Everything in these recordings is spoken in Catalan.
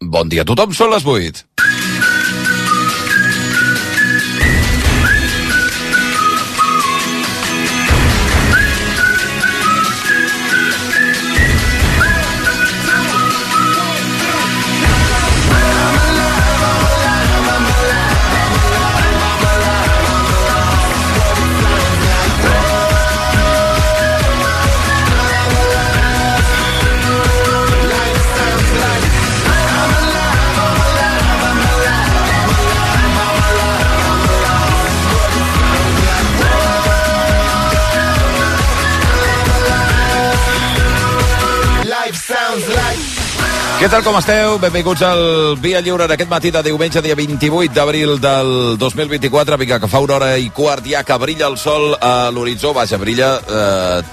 Bon dia a tothom, són les 8. Què tal, com esteu? Benvinguts al Via Lliure d'aquest matí de diumenge, dia 28 d'abril del 2024. Vinga, que fa 1h15 ja que brilla el sol a l'horitzó. Vaja, brilla,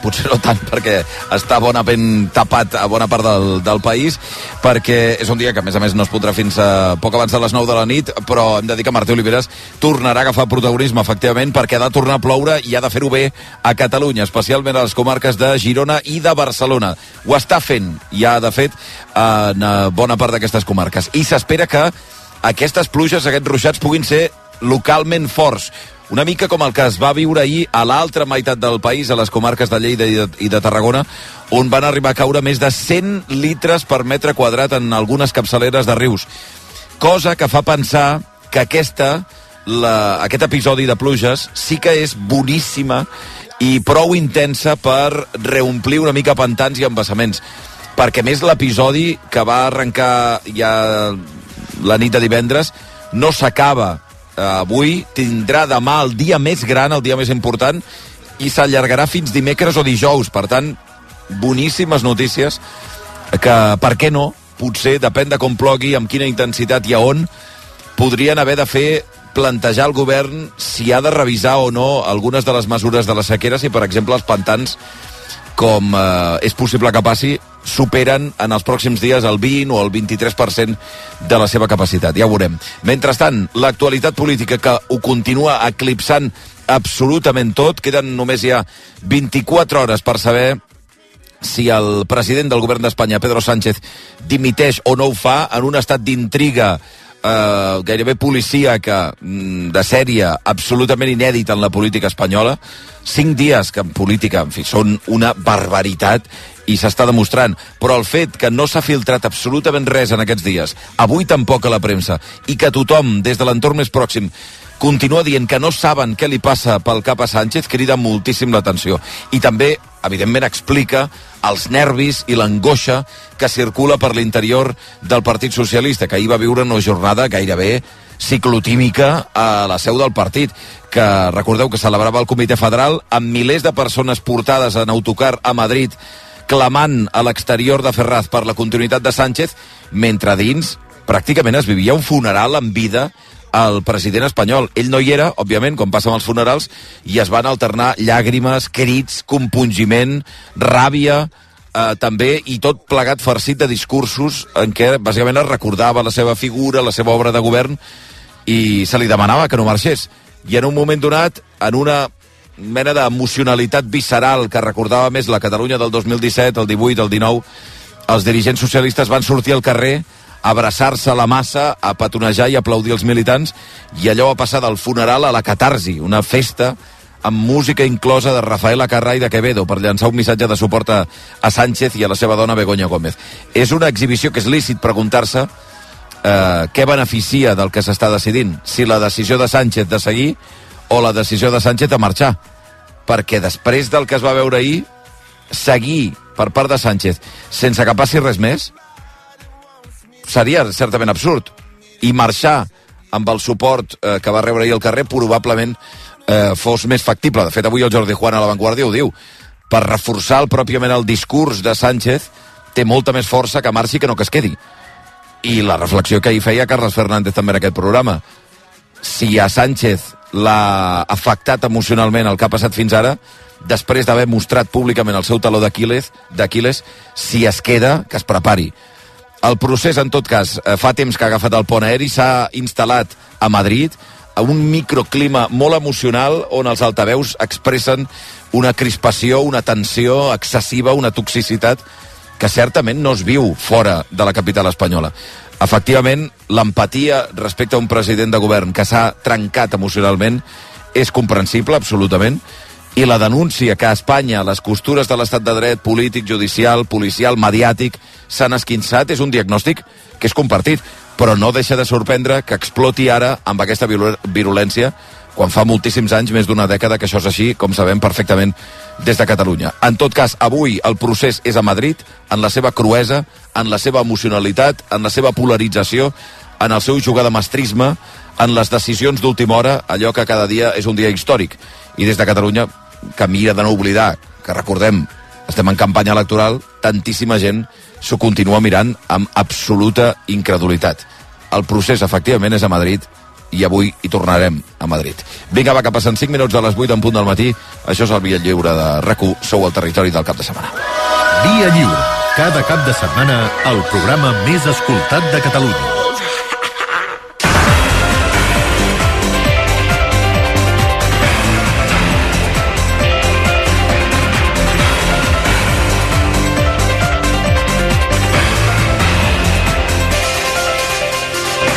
potser no tant perquè està bonament tapat a bona part del país, perquè és un dia que a més no es podrà fins a poc abans de les 9 de la nit, però hem de dir que Martí Oliveres tornarà a agafar protagonisme, efectivament, perquè ha de tornar a ploure i ha de fer-ho bé a Catalunya, especialment a les comarques de Girona i de Barcelona. Ho està fent, ja de fet, en bona part d'aquestes comarques. I s'espera que aquestes pluges, aquests ruixats, puguin ser localment forts. Una mica com el que es va viure ahir a l'altra meitat del país, a les comarques de Lleida i de Tarragona, on van arribar a caure més de 100 litres per metre quadrat en algunes capçaleres de rius. Cosa que fa pensar que aquest episodi de pluges sí que és boníssima i prou intensa per reomplir una mica pantans i embassaments. Perquè més l'episodi que va arrencar ja la nit de divendres no s'acaba avui, tindrà demà el dia més gran, el dia més important, i s'allargarà fins dimecres o dijous. Per tant, boníssimes notícies que, per què no, potser, depèn de com plogui, amb quina intensitat i a on, podrien haver de fer plantejar al govern si ha de revisar o no algunes de les mesures de la sequera, si, per exemple, els pantans, com és possible que passi, superen en els pròxims dies el 20 o el 23% de la seva capacitat. Ja ho veurem. Mentrestant, l'actualitat política que ho continua eclipsant absolutament tot. Queden només ja 24 hores per saber si el president del govern d'Espanya, Pedro Sánchez, dimiteix o no ho fa en un estat d'intriga gairebé policíaca, de sèrie, absolutament inèdit en la política espanyola. 5 dies que en política, en fi, són una barbaritat i s'està demostrant. Però el fet que no s'ha filtrat absolutament res en aquests dies, avui tampoc a la premsa, i que tothom, des de l'entorn més pròxim, continua dient que no saben què li passa pel cap a Sánchez, crida moltíssim l'atenció. I també, evidentment, explica els nervis i l'angoixa que circula per l'interior del Partit Socialista, que ahir va viure una jornada gairebé ciclotímica a la seu del partit, que recordeu que celebrava el Comitè Federal amb milers de persones portades en autocar a Madrid, clamant a l'exterior de Ferraz per la continuïtat de Sánchez, mentre dins pràcticament es vivia un funeral en vida al president espanyol. Ell no hi era, òbviament, com passa amb els funerals, i es van alternar llàgrimes, crits, compungiment, ràbia, també, i tot plegat farcit de discursos en què bàsicament es recordava la seva figura, la seva obra de govern, i se li demanava que no marxés. I en un moment donat, en una mena d'emocionalitat visceral que recordava més la Catalunya del 2017, el 18, el 19, els dirigents socialistes van sortir al carrer a abraçar-se a la massa, a petonejar i aplaudir els militants, i allò va passar del funeral a la catarsi, una festa amb música inclosa de Rafael Acarrà i de Quevedo per llançar un missatge de suport a Sánchez i a la seva dona Begoña Gómez. És una exhibició que és lícit preguntar-se què beneficia del que s'està decidint, si la decisió de Sánchez de seguir o la decisió de Sánchez de marxar, perquè després del que es va veure ahir, seguir per part de Sánchez sense que passi res més seria certament absurd, i marxar amb el suport que va rebre ahir al carrer probablement fos més factible. De fet, avui el Jordi Juan a La Vanguardia ho diu, per reforçar pròpiament el discurs de Sánchez té molta més força que marxi que no que es quedi. I la reflexió que ahir feia Carles Fernández també en aquest programa, si a Sánchez l'ha afectat emocionalment el que ha passat fins ara, després d'haver mostrat públicament el seu taló d'Aquil·les, si es queda, que es prepari. El procés, en tot cas, fa temps que ha agafat el pont aeri, s'ha instal·lat a Madrid, a un microclima molt emocional on els altaveus expressen una crispació, una tensió excessiva, una toxicitat que certament no es viu fora de la capital espanyola. Efectivament, l'empatia respecte a un president de govern que s'ha trencat emocionalment és comprensible, absolutament, i la denúncia que a Espanya les costures de l'estat de dret, polític, judicial, policial, mediàtic, s'han esquinçat és un diagnòstic que és compartit, però no deixa de sorprendre que exploti ara amb aquesta virulència quan fa moltíssims anys, més d'una dècada, que això és així, com sabem perfectament des de Catalunya. En tot cas, avui el procés és a Madrid, en la seva cruesa, en la seva emocionalitat, en la seva polarització, en el seu jugar de mestrisme, en les decisions d'última hora, allò que cada dia és un dia històric. I des de Catalunya, que mira de no oblidar, que recordem, estem en campanya electoral, tantíssima gent s'ho continua mirant amb absoluta incredulitat. El procés, efectivament, és a Madrid, i avui hi tornarem a Madrid. Vinga, va, que passen 5 minuts a les 8 en punt del matí. Això és el Via Lliure de RAC1. Sou al territori del cap de setmana. Via Lliure. Cada cap de setmana, el programa més escoltat de Catalunya.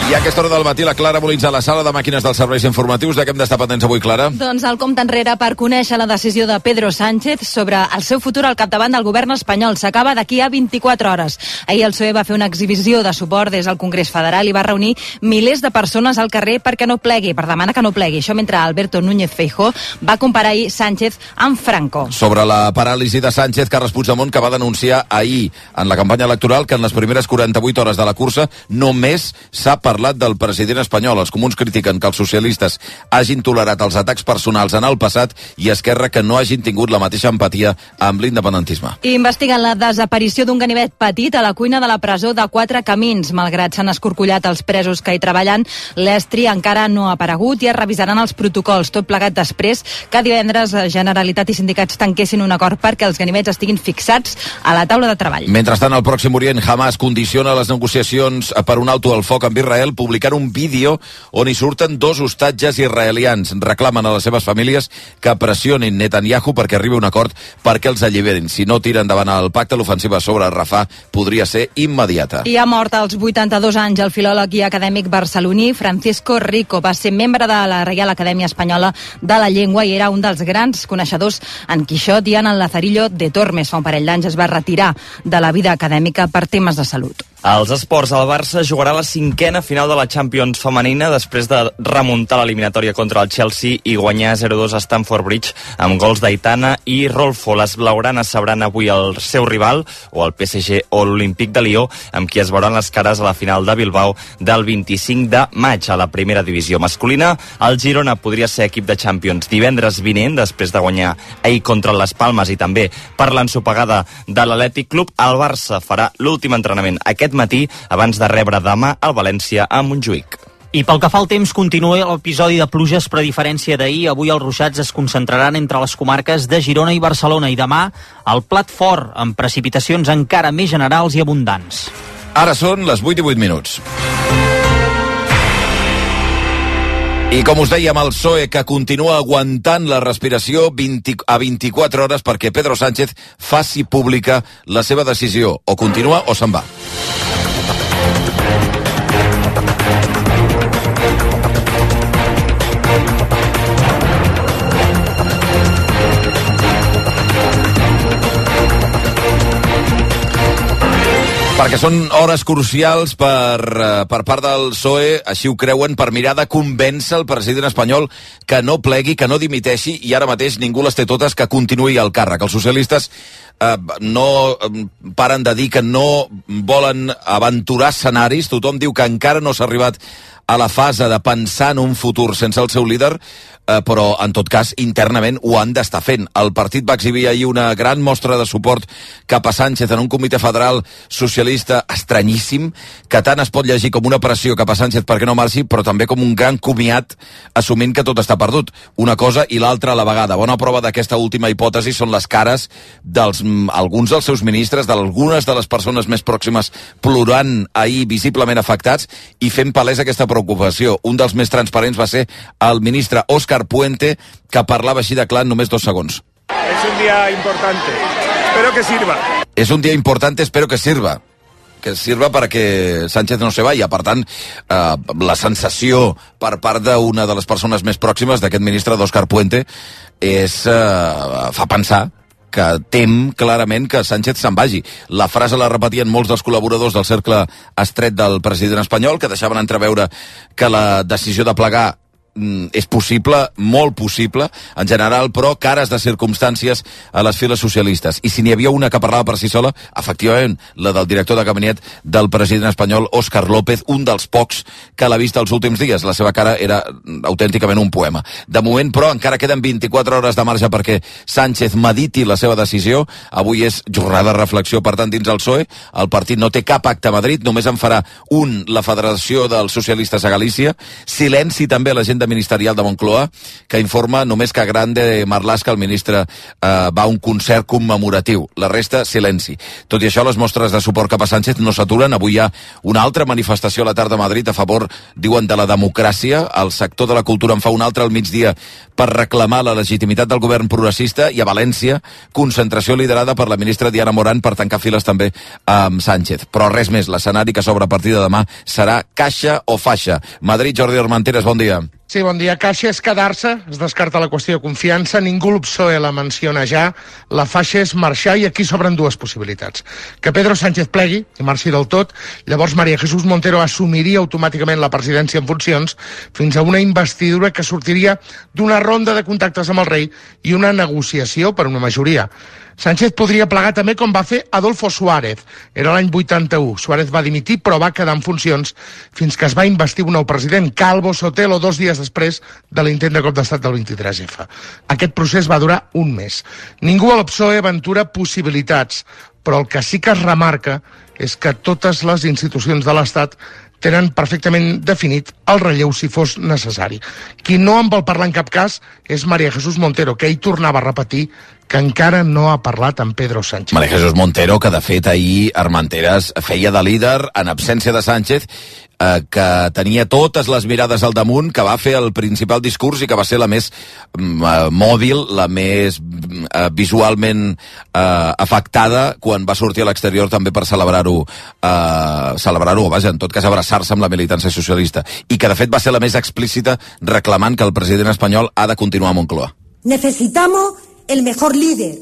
I a aquesta hora del matí la Clara Molins a la sala de màquines dels serveis informatius. De què hem d'estar pendents avui, Clara? Doncs el compte enrere per conèixer la decisió de Pedro Sánchez sobre el seu futur al capdavant del govern espanyol. S'acaba d'aquí a 24 hores. Ahir el PSOE va fer una exhibició de suport des del Congrés Federal i va reunir milers de persones al carrer perquè no plegui, per demanar que no plegui. Això mentre Alberto Núñez Feijóo va comparar ahir Sánchez amb Franco. Sobre la paràlisi de Sánchez, Carles Puigdemont, que va denunciar ahir en la campanya electoral que en les primeres 48 hores de la cursa només s'ha parlat del president espanyol. Els comuns critiquen que els socialistes hagin tolerat els atacs personals en el passat i Esquerra que no hagin tingut la mateixa empatia amb l'independentisme. Investiguen la desaparició d'un ganivet petit a la cuina de la presó de Quatre Camins. Malgrat s'han escorcollat els presos que hi treballen, l'estri encara no ha aparegut i es revisaran els protocols. Tot plegat després que divendres Generalitat i sindicats tanquessin un acord perquè els ganivets estiguin fixats a la taula de treball. Mentrestant, al Pròxim Orient, Hamas condiciona les negociacions per un alto al foc amb Israel, publicant un vídeo on hi surten 2 hostatges israelians. Reclamen a les seves famílies que pressionin Netanyahu perquè arribi a un acord perquè els alliberin. Si no tiren endavant el pacte, l'ofensiva sobre Rafah podria ser immediata. I ha mort als 82 anys el filòleg i acadèmic barceloní Francisco Rico. Va ser membre de la Reial Acadèmia Espanyola de la Llengua i era un dels grans coneixedors en Quixot i en el Lazarillo de Tormes. Fa un parell d'anys es va retirar de la vida acadèmica per temes de salut. Als esports, el Barça jugarà la 5a final de la Champions femenina després de remuntar l'eliminatòria contra el Chelsea i guanyar 0-2 a Stamford Bridge amb gols d'Aitana i Rolfo. Les blaugranes sabran avui el seu rival, o el PSG o l'Olímpic de Lió, amb qui es veuran les cares a la final de Bilbao del 25 de maig a la primera divisió masculina. El Girona podria ser equip de Champions divendres vinent, després de guanyar ahir contra les Palmes i també per l'ensopegada de l'Atlètic Club. El Barça farà l'últim entrenament aquest matí abans de rebre demà el València a Montjuïc. I pel que fa al temps, continua l'episodi de pluges, però a diferència d'ahir, avui els ruixats es concentraran entre les comarques de Girona i Barcelona i demà el plat fort, amb precipitacions encara més generals i abundants. Ara són les 8 i 8 minuts. I com us dèiem, el PSOE que continua aguantant la respiració a 24 hores perquè Pedro Sánchez faci pública la seva decisió. O continua o se'n va. Perquè són hores crucials per part del PSOE, així ho creuen, per mirar de convèncer el president espanyol que no plegui, que no dimiteixi, i ara mateix ningú les té totes, que continuï al càrrec. Els socialistes no paren de dir que no volen aventurar escenaris. Tothom diu que encara no s'ha arribat a la fase de pensar en un futur sense el seu líder, però en tot cas internament ho han d'estar fent. El partit va exhibir ahir una gran mostra de suport cap a Sánchez en un comitè federal socialista estranyíssim, que tant es pot llegir com una pressió cap a Sánchez perquè no marxi, però també com un gran comiat assumint que tot està perdut. Una cosa i l'altra a la vegada. Bona prova d'aquesta última hipòtesi són les cares d'alguns dels seus ministres, d'algunes de les persones més pròximes plorant ahir visiblement afectats i fent palès aquesta preocupació. Un dels més transparents va ser el ministre Óscar Puente, que parlava així de clar en només 2 segons. Es un día importante, espero que sirva. Es un día importante, espero que sirva. Que sirva para que Sánchez no se vaya. Per tant, la sensació per part d'una de les persones més pròximes d'aquest ministre, d'Òscar Puente, fa pensar que tem clarament que Sánchez se'n vagi. La frase la repetien molts dels col·laboradors del cercle estret del president espanyol, que deixaven entreveure que la decisió de plegar és possible, molt possible, en general, però cares de circumstàncies a les files socialistes. I si n'hi havia una que parlava per si sola, efectivament, la del director de gabinet del president espanyol, Óscar López, un dels pocs que l'ha vist els últims dies. La seva cara era autènticament un poema. De moment, però, encara queden 24 hores de marge perquè Sánchez mediti la seva decisió. Avui és jornada de reflexió, per tant, dins el PSOE. El partit no té cap acte a Madrid, només en farà un, la Federació dels Socialistes a Galícia. Silenci també a l'agenda ministerial de Moncloa, que informa només que Grande Marlaska, el ministre, va a un concert commemoratiu. La resta, silenci. Tot i això, les mostres de suport cap a Sánchez no s'aturen. Avui hi ha una altra manifestació a la tarda a Madrid a favor, diuen, de la democràcia. El sector de la cultura en fa un altre al migdia per reclamar la legitimitat del govern progressista, i a València, concentració liderada per la ministra Diana Morán per tancar files també amb Sánchez. Però res més, l'escenari que s'obre a partir de demà serà caixa o faixa. Madrid, Jordi Armenteres, bon dia. Sí, bon dia. Caixa és quedar-se, es descarta la qüestió de confiança, ningú el PSOE la menciona ja, la faixa és marxar, i aquí s'obren dues possibilitats. Que Pedro Sánchez plegui i marxi del tot, llavors María Jesús Montero assumiria automàticament la presidència en funcions fins a una investidura que sortiria d'una ronda de contactes amb el rei i una negociació per una majoria. Sánchez podria plegar també com va fer Adolfo Suárez. Era l'any 81. Suárez va dimitir, però va quedar en funcions fins que es va investir un nou president, Calvo Sotelo, 2 dies després de l'intent de cop d'estat del 23F. Aquest procés va durar un mes. Ningú al PSOE aventura possibilitats, però el que sí que es remarca és que totes les institucions de l'Estat tenen perfectament definit el relleu si fos necessari. Qui no en vol parlar en cap cas és María Jesús Montero, que ell tornava a repetir que encara no ha parlat amb Pedro Sánchez. María Jesús Montero, que de fet ahir Armenteres feia de líder en absència de Sánchez, que tenia totes les mirades al damunt, que va fer el principal discurs i que va ser la més mòbil, la més visualment afectada quan va sortir a l'exterior també per celebrar-ho, vaja, en tot cas abraçar-se amb la militància socialista, i que de fet va ser la més explícita reclamant que el president espanyol ha de continuar a Moncloa. Necesitamos el mejor líder,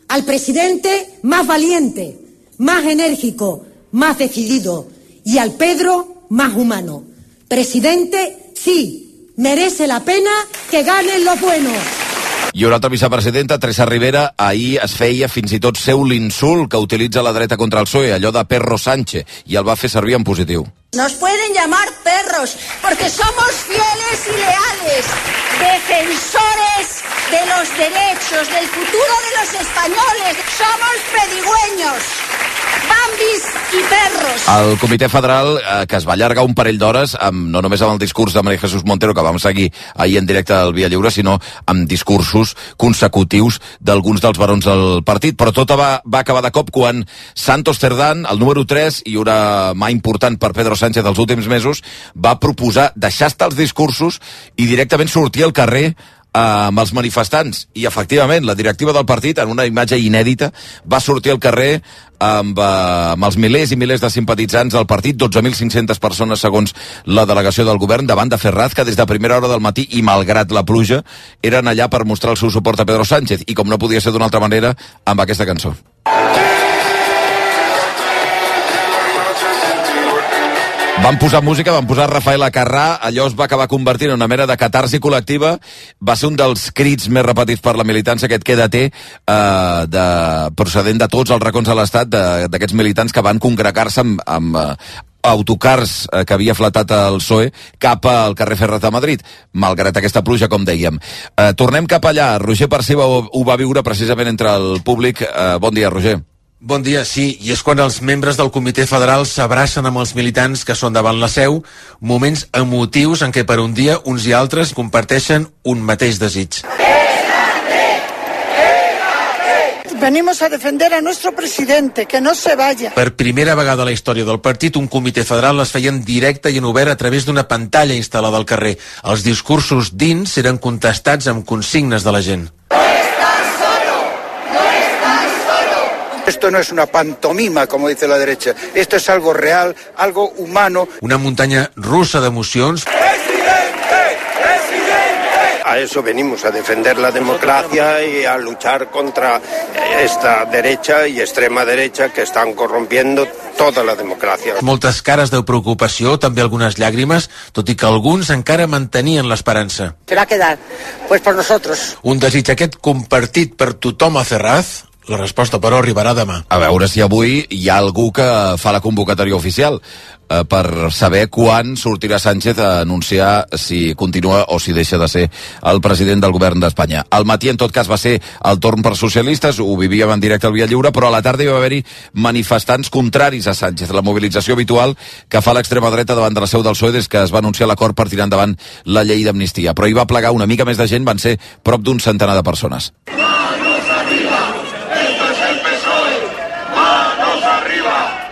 al presidente más valiente, más enérgico, más decidido, y al Pedro más humano. Presidente, sí, merece la pena que ganen los buenos. I una altra vicepresidenta, Teresa Rivera, ahir es feia fins i tot seu l'insult que utilitza la dreta contra el PSOE, allò de perro Sánchez, i el va fer servir en positiu. Nos pueden llamar perros porque somos fieles y leales, defensores de los derechos, del futuro de los españoles. Somos pedigüeños, bambis i perros. El Comitè Federal, que es va allargar un parell d'hores, no només amb el discurs de María Jesús Montero, que vam seguir ahir en directe al Via Lliure, sinó amb discursos consecutius d'alguns dels barons del partit. Però tot va acabar de cop quan Santos Cerdán, el número 3, i una mà important per Pedro Sánchez dels últims mesos, va proposar deixar estar els discursos i directament sortir al carrer amb els manifestants. I efectivament, la directiva del partit, en una imatge inèdita, va sortir al carrer amb els milers i milers de simpatitzants del partit, 12.500 persones segons la delegació del govern, davant de Ferraz, que des de primera hora del matí i malgrat la pluja eren allà per mostrar el seu suport a Pedro Sánchez, i com no podia ser d'una altra manera, amb aquesta cançó. Van posar música, van posar Rafael Acarrà, allò es va acabar convertint en una mena de catarsi col·lectiva, va ser un dels crits més repetits per la militància, aquest quédate, procedent de tots els racons de l'Estat, d'aquests militants que van congregar-se amb autocars que havia flatat el PSOE cap al carrer Ferraz de Madrid, malgrat aquesta pluja, com dèiem. Tornem cap allà. Roger Perciba ho va viure precisament entre el públic. Bon dia, Roger. Bon dia, sí, i és quan els membres del Comitè Federal s'abracen amb els militants que són davant la seu, moments emotius en què per un dia uns i altres comparteixen un mateix desig. Venimos a defender a nuestro presidente, que no se vaya. Per primera vegada a la història del partit, un comitè federal es feia en directe i en obert a través d'una pantalla instal·lada al carrer. Els discursos dins eren contestats amb consignes de la gent. Esto no es una pantomima, como dice la derecha. Esto es algo real, algo humano. Una muntanya russa d'emocions. A eso venimos, a defender la democracia y a luchar contra esta derecha y extrema derecha que están corrompiendo tota la democràcia. Moltes cares de preocupació, també algunes llàgrimes, tot i que alguns encara mantenien l'esperança. Se va a quedar, pues por nosotros. Un desig aquest compartit per tothom a Ferraz. La resposta, però, arribarà demà. A veure si avui hi ha algú que fa la convocatòria oficial per saber quan sortirà Sánchez a anunciar si continua o si deixa de ser el president del govern d'Espanya. Al matí, en tot cas, va ser el torn per socialistes, ho vivíem en directe al Via Lliure, però a la tarda hi va haver-hi manifestants contraris a Sánchez. La mobilització habitual que fa l'extrema dreta davant de la seu del PSOE des que es va anunciar l'acord per tirar endavant la llei d'amnistia. Però hi va plegar una mica més de gent, van ser prop d'un centenar de persones.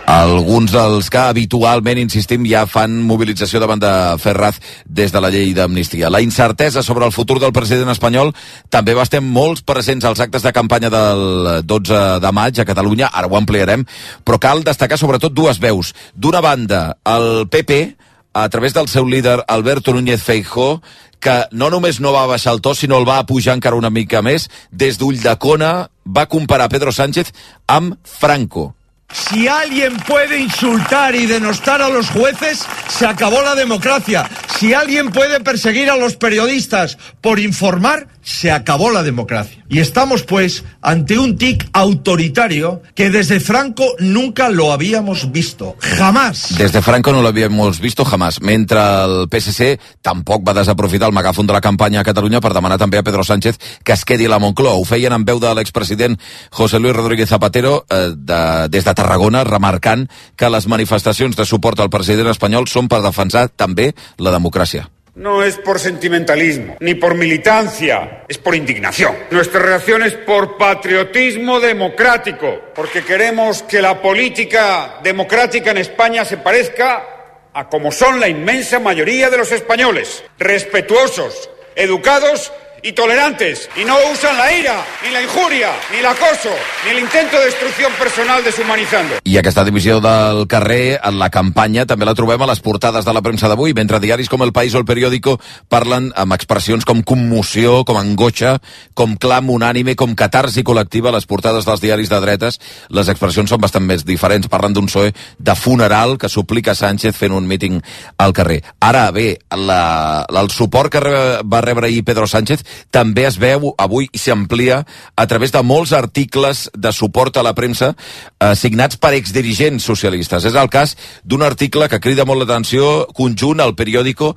Alguns dels que habitualment, insistim, ja fan mobilització davant de Ferraz des de la llei d'amnistia. La incertesa sobre el futur del president espanyol també va estar molts presents als actes de campanya del 12 de maig a Catalunya, ara ho ampliarem, però cal destacar sobretot dues veus. D'una banda, el PP, a través del seu líder Alberto Núñez Feijóo, que no només no va baixar el to, sinó el va pujar encara una mica més, des d'Ulldecona va comparar Pedro Sánchez amb Franco. Si alguien puede insultar y denostar a los jueces, se acabó la democracia. Si alguien puede perseguir a los periodistas por informar, se acabó la democracia. Y estamos, pues, ante un tic autoritario que desde Franco nunca lo habíamos visto. Jamás. Desde Franco no lo habíamos visto jamás. Mentre el PSC tampoc va desaprofitar el megàfon de la campanya a Catalunya per demanar també a Pedro Sánchez que es quedi a la Moncloa. Ho feien en veu de l'expresident José Luis Rodríguez Zapatero des de Tarragona, remarcant que les manifestacions de suport al president espanyol són per defensar també la democràcia. No es por sentimentalismo, ni por militancia, es por indignación. Nuestra reacción es por patriotismo democrático, porque queremos que la política democrática en España se parezca a como son la inmensa mayoría de los españoles, respetuosos, educados y tolerantes, y no usan la ira, ni la injuria, ni el acoso, ni el intento de destrucción personal deshumanizando. I aquesta divisió del carrer en la campanya també la trobem a les portades de la premsa d'avui, mentre diaris com El País o El Periódico parlen amb expressions com commoció, com angoixa, com clam unànime, com catarsi col·lectiva. A les portades dels diaris de dretes les expressions són bastant més diferents. Parlen d'un PSOE de funeral que suplica Sánchez fent un míting al carrer. Ara bé, el suport que va rebre ahir Pedro Sánchez també es veu avui i s'amplia a través de molts articles de suport a la premsa signats per exdirigents socialistes. És el cas d'un article que crida molt l'atenció, conjunt al Periódico,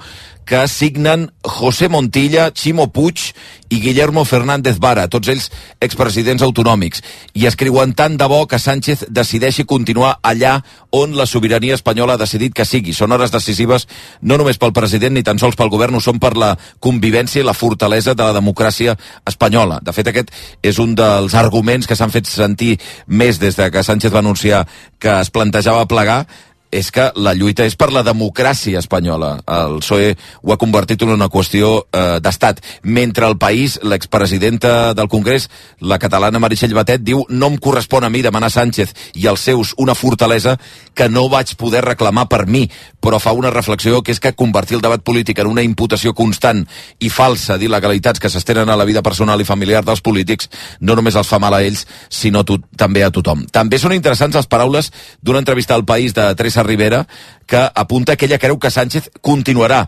que signen José Montilla, Ximo Puig i Guillermo Fernández Vara, tots ells expresidents autonòmics, i escriuen tant de bo que Sánchez decideixi continuar allà on la sobirania espanyola ha decidit que sigui. Són hores decisives no només pel president ni tan sols pel govern, ho són per la convivència i la fortalesa de la democràcia espanyola. De fet, aquest és un dels arguments que s'han fet sentir més des de que Sánchez va anunciar que es plantejava plegar, és que la lluita és per la democràcia espanyola. El PSOE ho ha convertit en una qüestió d'estat. Mentre El País, l'expresidenta del Congrés, la catalana Meritxell Batet, diu: no em correspon a mi demanar a Sánchez i als seus una fortalesa que no vaig poder reclamar per mi, però fa una reflexió que és que convertir el debat polític en una imputació constant i falsa d'il·legalitats que s'estenen a la vida personal i familiar dels polítics no només els fa mal a ells, sinó també a tothom. També són interessants les paraules d'una entrevista al País de Teresa Rivera, que apunta que ella creu que Sánchez continuarà,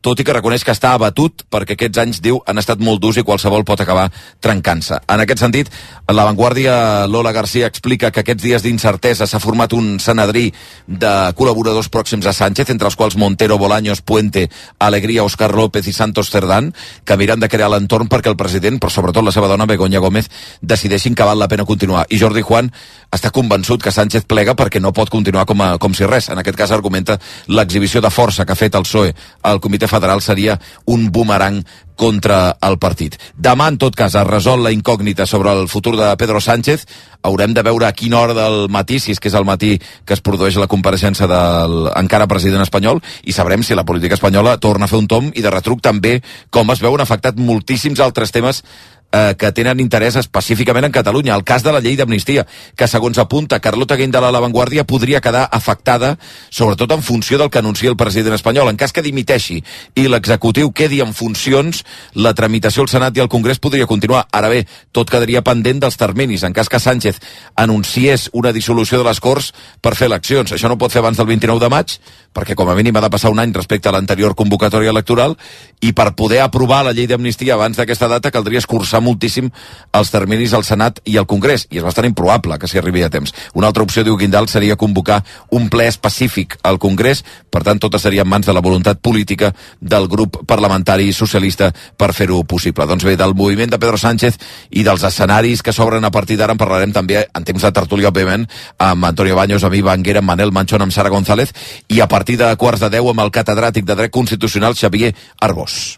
tot i que reconeix que està abatut perquè aquests anys, diu, han estat molt durs i qualsevol pot acabar trencant-se. En aquest sentit, La Vanguardia, Lola García explica que aquests dies d'incertesa s'ha format un senadrí de col·laboradors pròxims a Sánchez, entre els quals Montero, Bolaños, Puente, Alegría, Óscar López i Santos Cerdán, que miren de crear l'entorn perquè el president, però sobretot la seva dona, Begoña Gómez, decideixin que val la pena continuar. I Jordi Juan està convençut que Sánchez plega perquè no pot continuar com si res. En aquest cas argumenta l'exhibició de força que ha fet el PSOE al Comitè Federal seria un bumerang contra el partit. Demà, en tot cas, es resol la incògnita sobre el futur de Pedro Sánchez. Haurem de veure a quina hora del matí, si és que és el matí que es produeix la compareixença del encara president espanyol, i sabrem si la política espanyola torna a fer un tomb i de retruc també com es veuen afectat moltíssims altres temes que tenen interès específicament en Catalunya. El cas de la llei d'amnistia, que segons apunta Carlota Guinda a La Vanguardia, podria quedar afectada, sobretot en funció del que anuncia el president espanyol. En cas que dimiteixi i l'executiu quedi en funcions, la tramitació al Senat i al Congrés podria continuar. Ara bé, tot quedaria pendent dels terminis. En cas que Sánchez anunciés una dissolució de les Corts per fer eleccions, això no pot fer abans del 29 de maig, perquè com a mínim ha de passar un any respecte a l'anterior convocatòria electoral, i per poder aprovar la llei d'amnistia abans d'aquesta data caldria escurçar moltíssim els terminis al Senat i al Congrés, i és bastant improbable que s'hi arribi a temps. Una altra opció, diu Guindal, seria convocar un ple específic al Congrés, per tant tot seria en mans de la voluntat política del grup parlamentari socialista per fer-ho possible. Doncs bé, del moviment de Pedro Sánchez i dels escenaris que s'obren a partir d'ara en parlarem també en temps de tertúlia, òbviament, amb Antonio Baños, amb Iva Anguera, amb Manel Manchón, amb Sara González, i a partir de 9:15 amb el catedràtic de Dret Constitucional Xavier Arbós.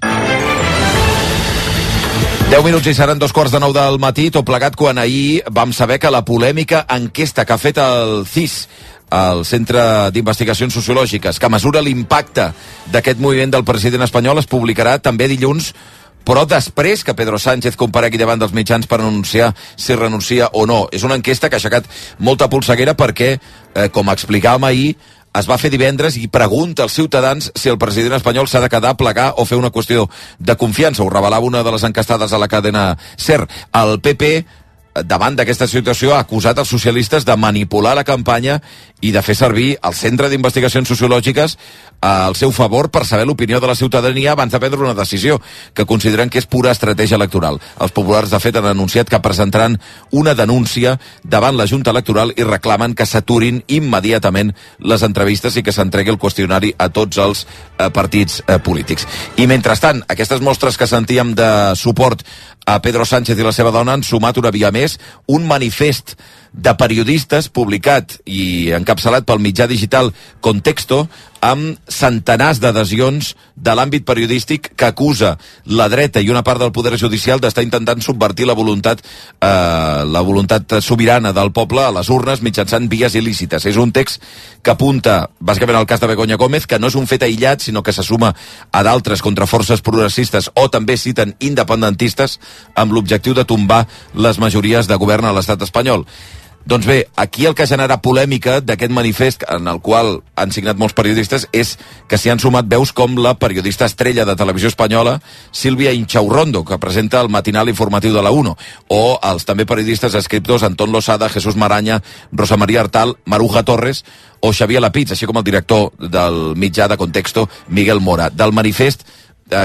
10 minuts i seran 9:15 del matí, tot plegat quan ahir vam saber que la polèmica enquesta que ha fet el CIS, el Centre d'Investigacions Sociològiques, que mesura l'impacte d'aquest moviment del president espanyol, es publicarà també dilluns, però després que Pedro Sánchez comparegui davant dels mitjans per anunciar si renuncia o no. És una enquesta que ha aixecat molta polseguera perquè, com explicàvem ahir, es va fer divendres i pregunta als ciutadans si el president espanyol s'ha de quedar, plegar o fer una qüestió de confiança. Ho revelava una de les encastades a la cadena SER. El PP, davant d'aquesta situació, ha acusat els socialistes de manipular la campanya i de fer servir el Centre d'Investigacions Sociològiques al seu favor per saber l'opinió de la ciutadania abans de prendre una decisió, que consideren que és pura estratègia electoral. Els populars, de fet, han anunciat que presentaran una denúncia davant la Junta Electoral i reclamen que s'aturin immediatament les entrevistes i que s'entregui el qüestionari a tots els partits polítics. I mentrestant, aquestes mostres que sentíem de suport a Pedro Sánchez i la seva dona han sumat una via més un manifest de periodistes publicat i encapçalat pel mitjà digital Contexto, amb centenars d'adhesions de l'àmbit periodístic que acusa la dreta i una part del poder judicial d'estar intentant subvertir la voluntat sobirana del poble a les urnes mitjançant vies il·lícites. És un text que apunta bàsicament al cas de Begoña Gómez, que no és un fet aïllat, sinó que se suma a d'altres contra forces progressistes o també citen independentistes amb l'objectiu de tombar les majories de govern a l'estat espanyol. Doncs bé, aquí el que genera polèmica d'aquest manifest, en el qual han signat molts periodistes, és que s'hi han sumat veus com la periodista estrella de televisió espanyola, Sílvia Inchaurrondo, que presenta el matinal informatiu de la 1, o els també periodistes escriptors Antón Losada, Jesús Maraña, Rosa María Artal, Maruja Torres o Xavier Lapitz, així com el director del mitjà de Contexto, Miguel Mora. Del manifest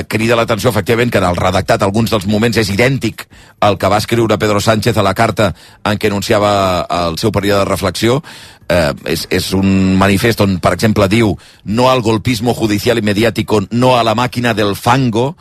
crida l'atenció, efectivament, que en el redactat alguns dels moments és idèntic al que va escriure Pedro Sánchez a la carta en què anunciava el seu període de reflexió. És un manifest on, per exemple, diu no al golpismo judicial y mediático, no a la máquina del fango,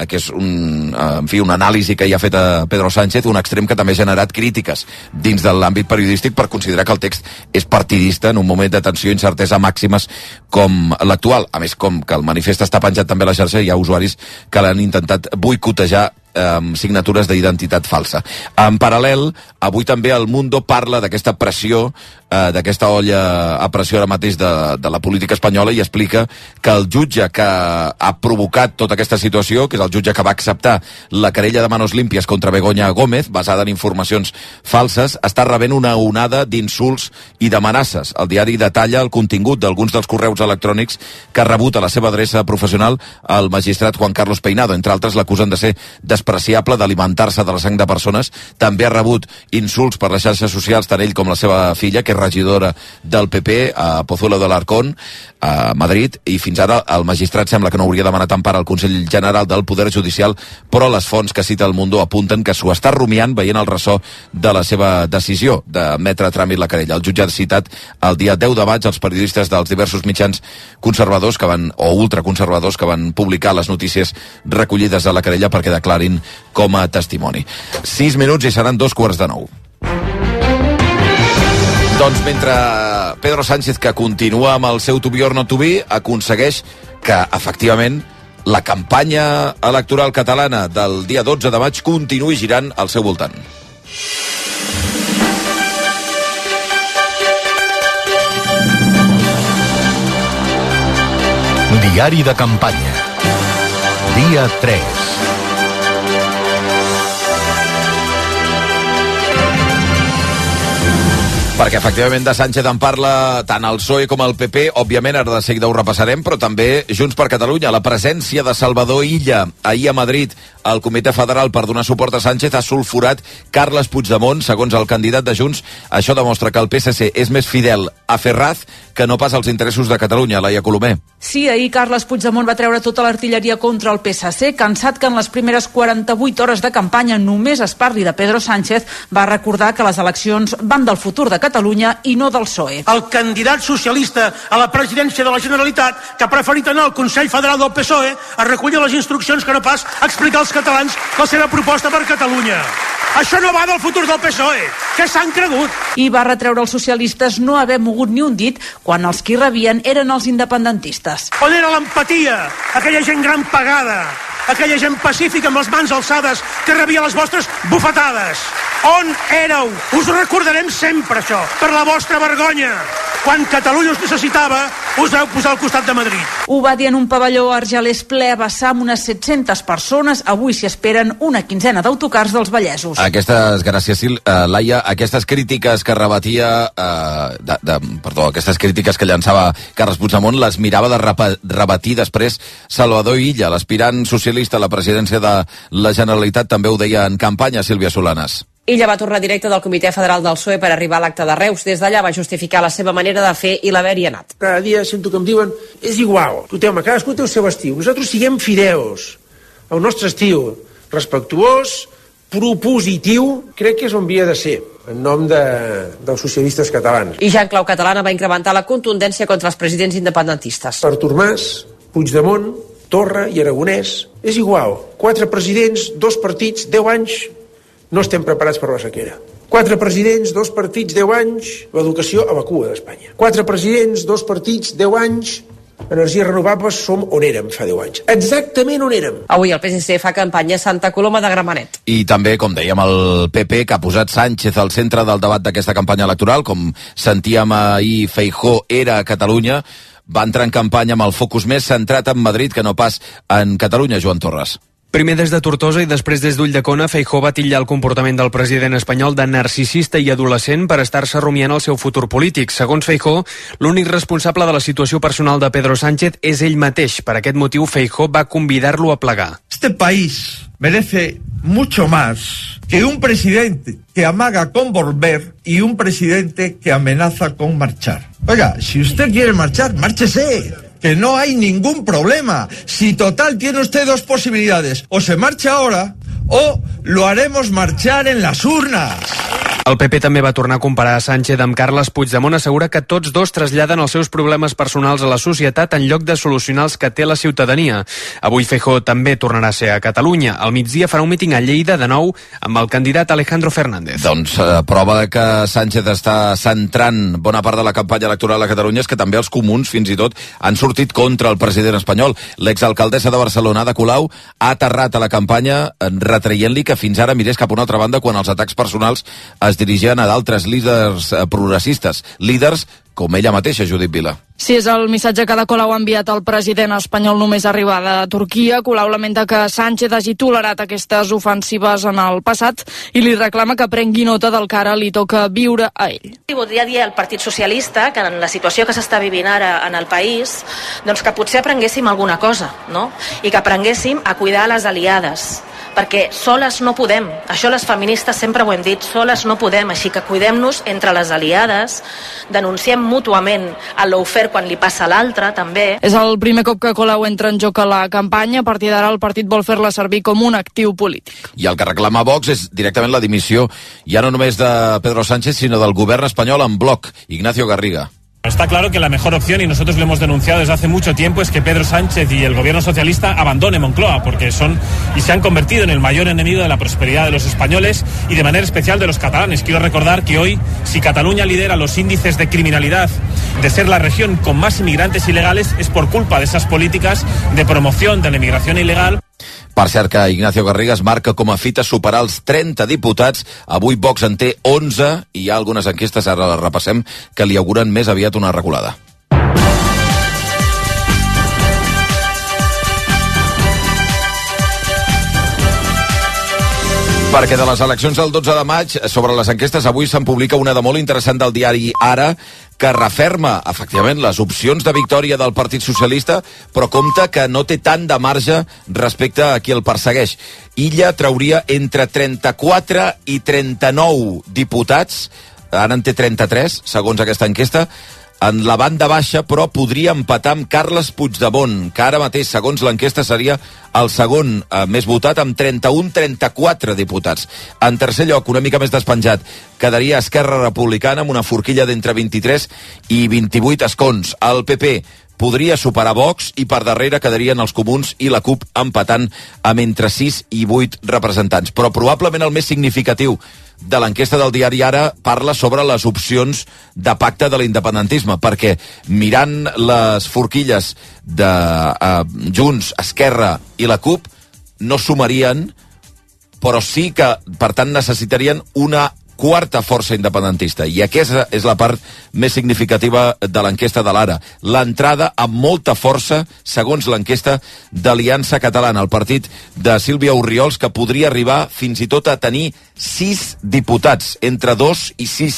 que és una anàlisi que hi ha fet a Pedro Sánchez, un extrem que també ha generat crítiques dins de l'àmbit periodístic per considerar que el text és partidista en un moment de tensió i incertesa màximes com l'actual. A més, com que el manifest està penjat també a la xarxa, hi ha usuaris que l'han intentat boicotejar amb signatures d'identitat falsa. En paral·lel, avui també el Mundo parla d'aquesta pressió, d'aquesta olla a pressió ara mateix de la política espanyola, i explica que el jutge que ha provocat tota aquesta situació, que és el jutge que va acceptar la querella de manos limpias contra Begoña Gómez, basada en informacions falses, està rebent una onada d'insults i d'amenaces. El diari detalla el contingut d'alguns dels correus electrònics que ha rebut a la seva adreça professional el magistrat Juan Carlos Peinado. Entre altres, l'acusen de ser despreciable, d'alimentar-se de la sang de persones. També ha rebut insults per les xarxes socials, tant ell com la seva filla, que és regidora del PP a Pozuelo de l'Arcón, a Madrid, i fins ara el magistrat sembla que no hauria demanat empara al Consell General del Poder Judicial, però les fonts que cita el Mundo apunten que s'ho està rumiant veient el ressò de la seva decisió d'admetre a tràmit la querella. El jutge ha citat el dia 10 de maig els periodistes dels diversos mitjans conservadors o ultraconservadors que van publicar les notícies recollides a la querella perquè declarin com a testimoni. 6 minuts i seran 8:45. Doncs mentre Pedro Sánchez, que continua amb el seu to be or not to be, aconsegueix que, efectivament, la campanya electoral catalana del dia 12 de maig continuï girant al seu voltant. Diari de campanya. Dia 3. Perquè efectivament de Sánchez en parla tant el PSOE com el PP, òbviament ara de seguida ho repassarem, però també Junts per Catalunya. La presència de Salvador Illa ahir a Madrid al Comitè Federal per donar suport a Sánchez ha sulfurat Carles Puigdemont. Segons el candidat de Junts, això demostra que el PSC és més fidel a Ferraz que no pas als interessos de Catalunya. Laia Colomer. Sí, ahir Carles Puigdemont va treure tota l'artilleria contra el PSC, cansat que en les primeres 48 hores de campanya només es parli de Pedro Sánchez, va recordar que les eleccions van del futur de Catalunya i no del PSOE. El candidat socialista a la presidència de la Generalitat, que ha preferit anar al Consell Federal del PSOE a recollir les instruccions que no pas explicar als catalans la seva proposta per Catalunya. Això no va del futur del PSOE, que s'han cregut. I va retreure als socialistes no haver mogut ni un dit quan els qui rebien eren els independentistes. On era l'empatia? Aquella gent gran pagada, aquella gent pacífica amb les mans alçades que rebia les vostres bufetades. On éreu? Us ho recordarem sempre, això, per la vostra vergonya. Quan Catalunya us necessitava, us vau posar al costat de Madrid. Ho va dir en un pavelló argelès ple a vessar amb unes 700 persones. Avui s'hi esperen una quinzena d'autocars dels vallesos. Gràcies, Laia. Aquestes crítiques que rebatia... aquestes crítiques que llançava Carles Puigdemont les mirava de rebatir després Salvador Illa, l'aspirant socialista a la presidència de la Generalitat, també ho deia en campanya, Sílvia Solanas. Illa va tornar directe del Comitè Federal del PSOE per arribar a l'acte de Reus. Des d'allà va justificar la seva manera de fer i l'haver-hi anat. Cada dia sento que em diuen, és igual, escolteu-me, cadascú té el seu estil. Nosaltres siguem fideus al nostre estil, respectuós, propositiu, crec que és on havia de ser, en nom dels socialistes catalans. I ja en clau catalana va incrementar la contundència contra els presidents independentistes. Artur Mas, Puigdemont, Torra i Aragonès, és igual, 4 presidents, 2 partits, 10 anys, no estem preparats per la sequera. 4 presidents, 2 partits, 10 anys, l'educació a la cua d'Espanya. 4 presidents, 2 partits, 10 anys, energies renovables, som on érem fa 10 anys. Exactament on érem. Avui el PSC fa campanya a Santa Coloma de Gramenet. I també, com dèiem, el PP, que ha posat Sánchez al centre del debat d'aquesta campanya electoral, com sentíem ahir, Feijóo era a Catalunya, va entrar en campanya amb el focus més centrat en Madrid que no pas en Catalunya, Joan Torres. Primer des de Tortosa i després des d'Ulldecona, Feijóo va titllar el comportament del president espanyol de narcisista i adolescent per estar-se rumiant el seu futur polític. Segons Feijóo, l'únic responsable de la situació personal de Pedro Sánchez és ell mateix. Per aquest motiu, Feijóo va convidar-lo a plegar. Este país merece mucho más que un presidente que amaga con volver y un presidente que amenaza con marchar. Oiga, si usted quiere marchar, márchese. Que no hay ningún problema. Si total tiene usted 2 posibilidades. O se marcha ahora o lo haremos marchar en las urnas. El PP també va tornar a comparar a Sánchez amb Carles Puigdemont. Assegura que tots dos traslladen els seus problemes personals a la societat en lloc de solucionar els que té la ciutadania. Avui Feijóo també tornarà a ser a Catalunya. Al migdia farà un míting a Lleida de nou amb el candidat Alejandro Fernández. Doncs prova de que Sánchez està centrant bona part de la campanya electoral a Catalunya és que també els comuns, fins i tot, han sortit contra el president espanyol. L'exalcaldessa de Barcelona, Ada Colau, ha aterrat a la campanya retraient-li que fins ara mirés cap a una altra banda quan els atacs personals es dirigien a d'altres líders progressistes, líders com ella mateixa, Judit Vila. Sí, és el missatge que Ada Colau ha enviat al president espanyol només arribar de Turquia. Colau lamenta que Sánchez hagi tolerat aquestes ofensives en el passat i li reclama que prengui nota del que ara li toca viure a ell. Voldria dir al Partit Socialista que en la situació que s'està vivint ara en el país, doncs que potser aprenguéssim alguna cosa, no? I que aprenguéssim a cuidar les aliades, perquè soles no podem. Això les feministes sempre ho hem dit, soles no podem, així que cuidem-nos entre les aliades, denunciem mútuament el lawfare quan li passa a l'altre, també. És el primer cop que Colau entra en joc a la campanya. A partir d'ara el partit vol fer-la servir com un actiu polític. I el que reclama Vox és directament la dimissió, ja no només de Pedro Sánchez, sinó del govern espanyol en bloc. Ignacio Garriga. Está claro que la mejor opción, y nosotros lo hemos denunciado desde hace mucho tiempo, es que Pedro Sánchez y el gobierno socialista abandone Moncloa, porque son y se han convertido en el mayor enemigo de la prosperidad de los españoles y de manera especial de los catalanes. Quiero recordar que hoy, si Cataluña lidera los índices de criminalidad, de ser la región con más inmigrantes ilegales, es por culpa de esas políticas de promoción de la inmigración ilegal. Per cert que Ignacio Garriga es marca com a fita superar els 30 diputats. Avui Vox en té 11 i hi ha algunes enquestes, ara les repassem, que li auguren més aviat una reculada. Perquè de les eleccions del 12 de maig, sobre les enquestes, avui se'n publica una de molt interessant del diari Ara, que referma, efectivament, les opcions de victòria del Partit Socialista, però compta que no té tant de marge respecte a qui el persegueix. Illa trauria entre 34 i 39 diputats, ara en té 33, segons aquesta enquesta. En la banda baixa, però, podria empatar amb Carles Puigdemont, que ara mateix, segons l'enquesta, seria el segon més votat, amb 31-34 diputats. En tercer lloc, una mica més despenjat, quedaria Esquerra Republicana amb una forquilla d'entre 23 i 28 escons. El PP podria superar Vox i per darrere quedarien els Comuns i la CUP empatant amb entre 6 i 8 representants. Però probablement el més significatiu de l'enquesta del diari Ara parla sobre les opcions de pacte de l'independentisme, perquè mirant les forquilles de Junts, Esquerra i la CUP no sumarien, però sí que, per tant, necessitarien una quarta força independentista, i aquesta és la part més significativa de l'enquesta de l'Ara. L'entrada amb molta força, segons l'enquesta d'Aliança Catalana, el partit de Sílvia Orriols, que podria arribar fins i tot a tenir 6 diputats, entre 2 i 6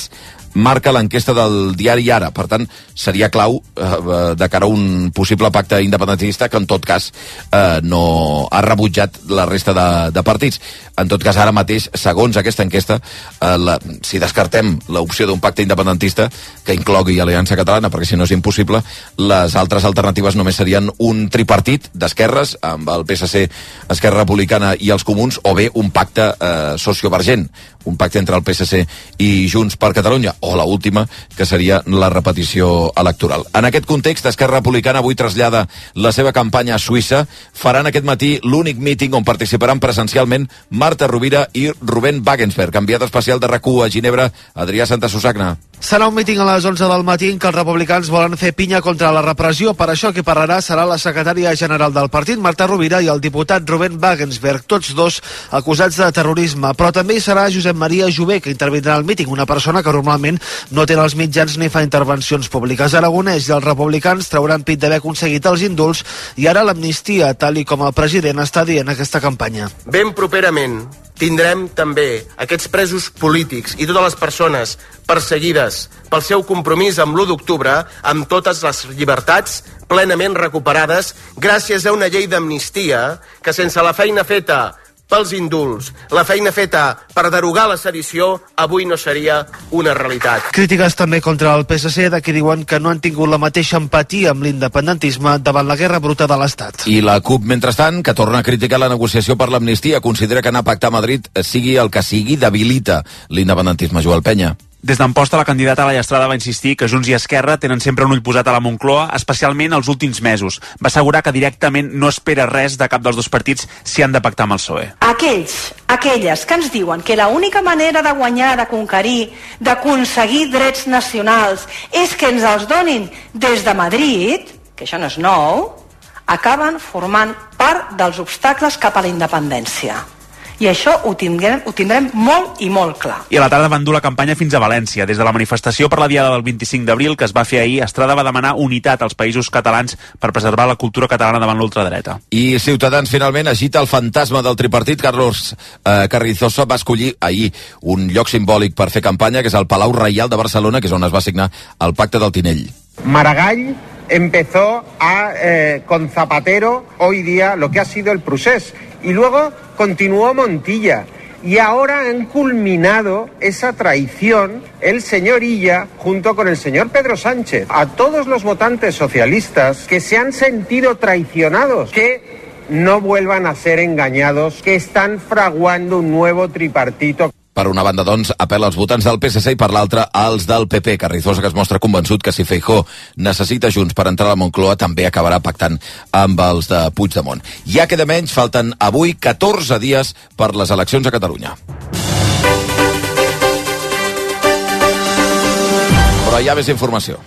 marca l'enquesta del diari Ara. Per tant, seria clau de cara a un possible pacte independentista que en tot cas no ha rebutjat la resta de partits. En tot cas, ara mateix, segons aquesta enquesta, si descartem l'opció d'un pacte independentista que inclogui Aliança Catalana, perquè si no és impossible, les altres alternatives només serien un tripartit d'esquerres amb el PSC, Esquerra Republicana i els Comuns, o bé un pacte sociovergent, un pacte entre el PSC i Junts per Catalunya, o la última, que seria la repetició electoral. En aquest context, Esquerra Republicana avui trasllada la seva campanya a Suïssa. Faran aquest matí l'únic míting on participaran presencialment Marta Rovira i Rubén Wagensberg. Enviat especial de RAC1 a Ginebra, Adrià Santasusagna. Serà un míting a les 11 del matí en què els republicans volen fer pinya contra la repressió. Per això qui parlarà serà la secretària general del partit, Marta Rovira, i el diputat Rubén Wagensberg, tots dos acusats de terrorisme. Però també hi serà Josep Maria Jové, que intervindrà al míting, una persona que normalment no té els mitjans ni fa intervencions públiques. Aragonès i els republicans trauran pit d'haver aconseguit els indults i ara l'amnistia, tal i com el president està dient aquesta campanya. Ben properament tindrem també aquests presos polítics i totes les persones perseguides pel seu compromís amb l'1 d'octubre, amb totes les llibertats plenament recuperades gràcies a una llei d'amnistia que, sense la feina feta pels indults, la feina feta per derogar la sedició, avui no seria una realitat. Crítiques també contra el PSC, de qui diuen que no han tingut la mateixa empatia amb l'independentisme davant la guerra bruta de l'Estat. I la CUP, mentrestant, que torna a criticar la negociació per l'amnistia, considera que anar a pactar a Madrid, sigui el que sigui, debilita l'independentisme. Joel Penya. Des d'Amposta, la candidata a la Llastrada va insistir que Junts i Esquerra tenen sempre un ull posat a la Moncloa, especialment els últims mesos. Va assegurar que directament no espera res de cap dels dos partits si han de pactar amb el PSOE. Aquelles que ens diuen que l'única manera de guanyar, de conquerir, d'aconseguir drets nacionals és que ens els donin des de Madrid, que això no és nou, acaben formant part dels obstacles cap a la independència. I això ho tindrem molt i molt clar. I a la tarda van dur la campanya fins a València. Des de la manifestació per la diada del 25 d'abril que es va fer ahir, Estrada va demanar unitat als països catalans per preservar la cultura catalana davant l'ultradreta. I Ciutadans finalment agita el fantasma del tripartit. Carlos Carrizosa va escollir ahir un lloc simbòlic per fer campanya, que és el Palau Reial de Barcelona, que és on es va signar el Pacte del Tinell. Maragall empezó con Zapatero hoy día lo que ha sido el procés y luego continuó Montilla y ahora han culminado esa traición el señor Illa junto con el señor Pedro Sánchez. A todos los votantes socialistas que se han sentido traicionados, que no vuelvan a ser engañados, que están fraguando un nuevo tripartito. Per una banda, doncs, apel·la als votants del PSC i per l'altra als del PP. Carrizosa, que es mostra convençut que si Feijóo necessita Junts per entrar a la Moncloa, també acabarà pactant amb els de Puigdemont. Ja queda menys, falten avui 14 dies per les eleccions a Catalunya. Però hi ha més informació.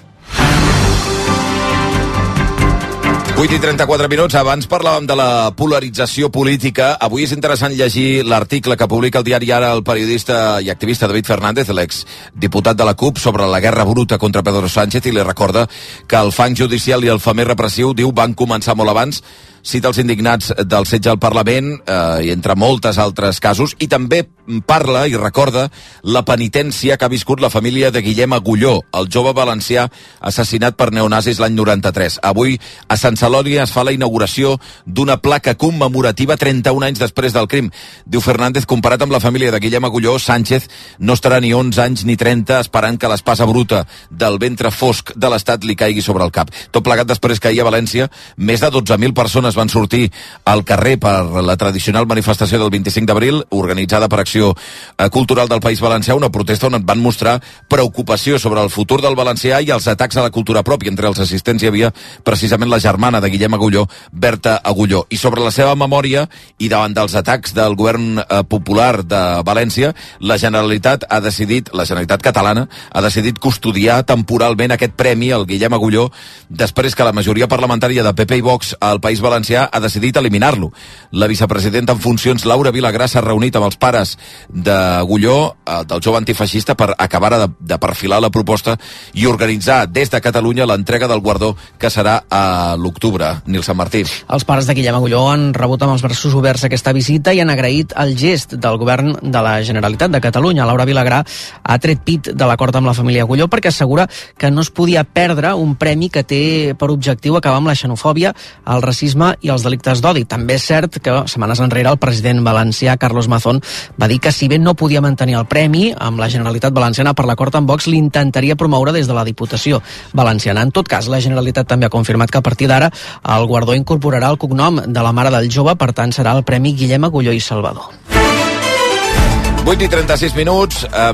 8:34. Abans parlàvem de la polarització política. Avui és interessant llegir l'article que publica el diari Ara el periodista i activista David Fernández, l'exdiputat de la CUP, sobre la guerra bruta contra Pedro Sánchez, i li recorda que el fang judicial i el femer repressiu, diu, van començar molt abans. cita els indignats del setge al Parlament, i entre moltes altres casos, i també parla i recorda la penitència que ha viscut la família de Guillem Agulló, el jove valencià assassinat per neonazis l'any 93. Avui a Sant Celoni es fa la inauguració d'una placa commemorativa 31 anys després del crim. Diu Fernández, comparat amb la família de Guillem Agulló, Sánchez no estarà ni 11 anys ni 30 esperant que l'espasa bruta del ventre fosc de l'Estat li caigui sobre el cap. Tot plegat després que ahir a València més de 12.000 persones van sortir al carrer per la tradicional manifestació del 25 d'abril, organitzada per Acció Cultural del País Valencià, una protesta on van mostrar preocupació sobre el futur del valencià i els atacs a la cultura pròpia. Entre els assistents hi havia precisament la germana de Guillem Agulló, Berta Agulló. I sobre la seva memòria i davant dels atacs del govern popular de València, la Generalitat catalana ha decidit custodiar temporalment aquest premi al Guillem Agulló després que la majoria parlamentària de PP i Vox al País Valencià ha decidit eliminar-lo. La vicepresidenta en funcions, Laura Vilagrà, s'ha reunit amb els pares d'Agulló, del jove antifeixista, per acabar de perfilar la proposta i organitzar des de Catalunya l'entrega del guardó, que serà a l'octubre. Nil Sant Martí. Els pares de Guillem Agulló han rebut amb els braços oberts aquesta visita i han agraït el gest del govern de la Generalitat de Catalunya. Laura Vilagrà ha tret pit de l'acord amb la família Agulló perquè assegura que no es podia perdre un premi que té per objectiu acabar amb la xenofòbia, el racisme i els delictes d'odi. També és cert que setmanes enrere el president valencià Carlos Mazón va dir que si bé no podia mantenir el premi, amb la Generalitat Valenciana per l'acord amb Vox l'intentaria promoure des de la Diputació Valenciana. En tot cas, la Generalitat també ha confirmat que a partir d'ara el guardó incorporarà el cognom de la mare del jove, per tant serà el Premi Guillem Agulló i Salvador. 8:36.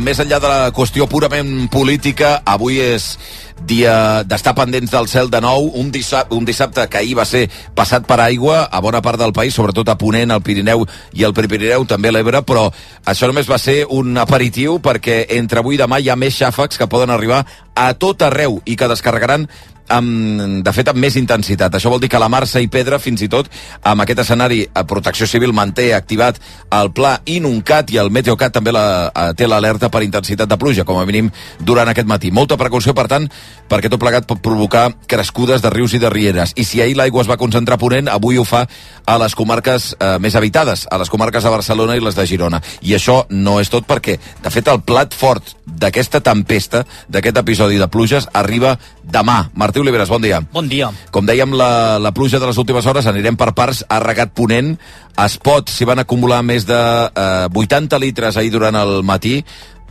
Més enllà de la qüestió purament política, avui és dia d'estar pendents del cel de nou, un dissabte que ahir va ser passat per aigua a bona part del país, sobretot a Ponent, al Pirineu i al Prepirineu, també a l'Ebre, però això només va ser un aperitiu perquè entre avui i demà hi ha més xàfecs que poden arribar a tot arreu i que descarregaran de fet amb més intensitat. Això vol dir que la Marsa i Pedra, fins i tot amb aquest escenari, Protecció Civil manté activat el pla Inuncat i el Meteocat també té l'alerta per intensitat de pluja, com a mínim durant aquest matí. Molta precaució, per tant, perquè tot plegat pot provocar crescudes de rius i de rieres. I si ahir l'aigua es va concentrar a Ponent, avui ho fa a les comarques més habitades, a les comarques de Barcelona i les de Girona. I això no és tot perquè, de fet, el plat fort d'aquesta tempesta, d'aquest episodi de pluges, arriba demà. Martí Oliveres, bon dia. Bon dia. Com dèiem, la pluja de les últimes hores, anirem per parts, ha regat Ponent. A Espot s'hi van acumular més de 80 litres ahir durant el matí.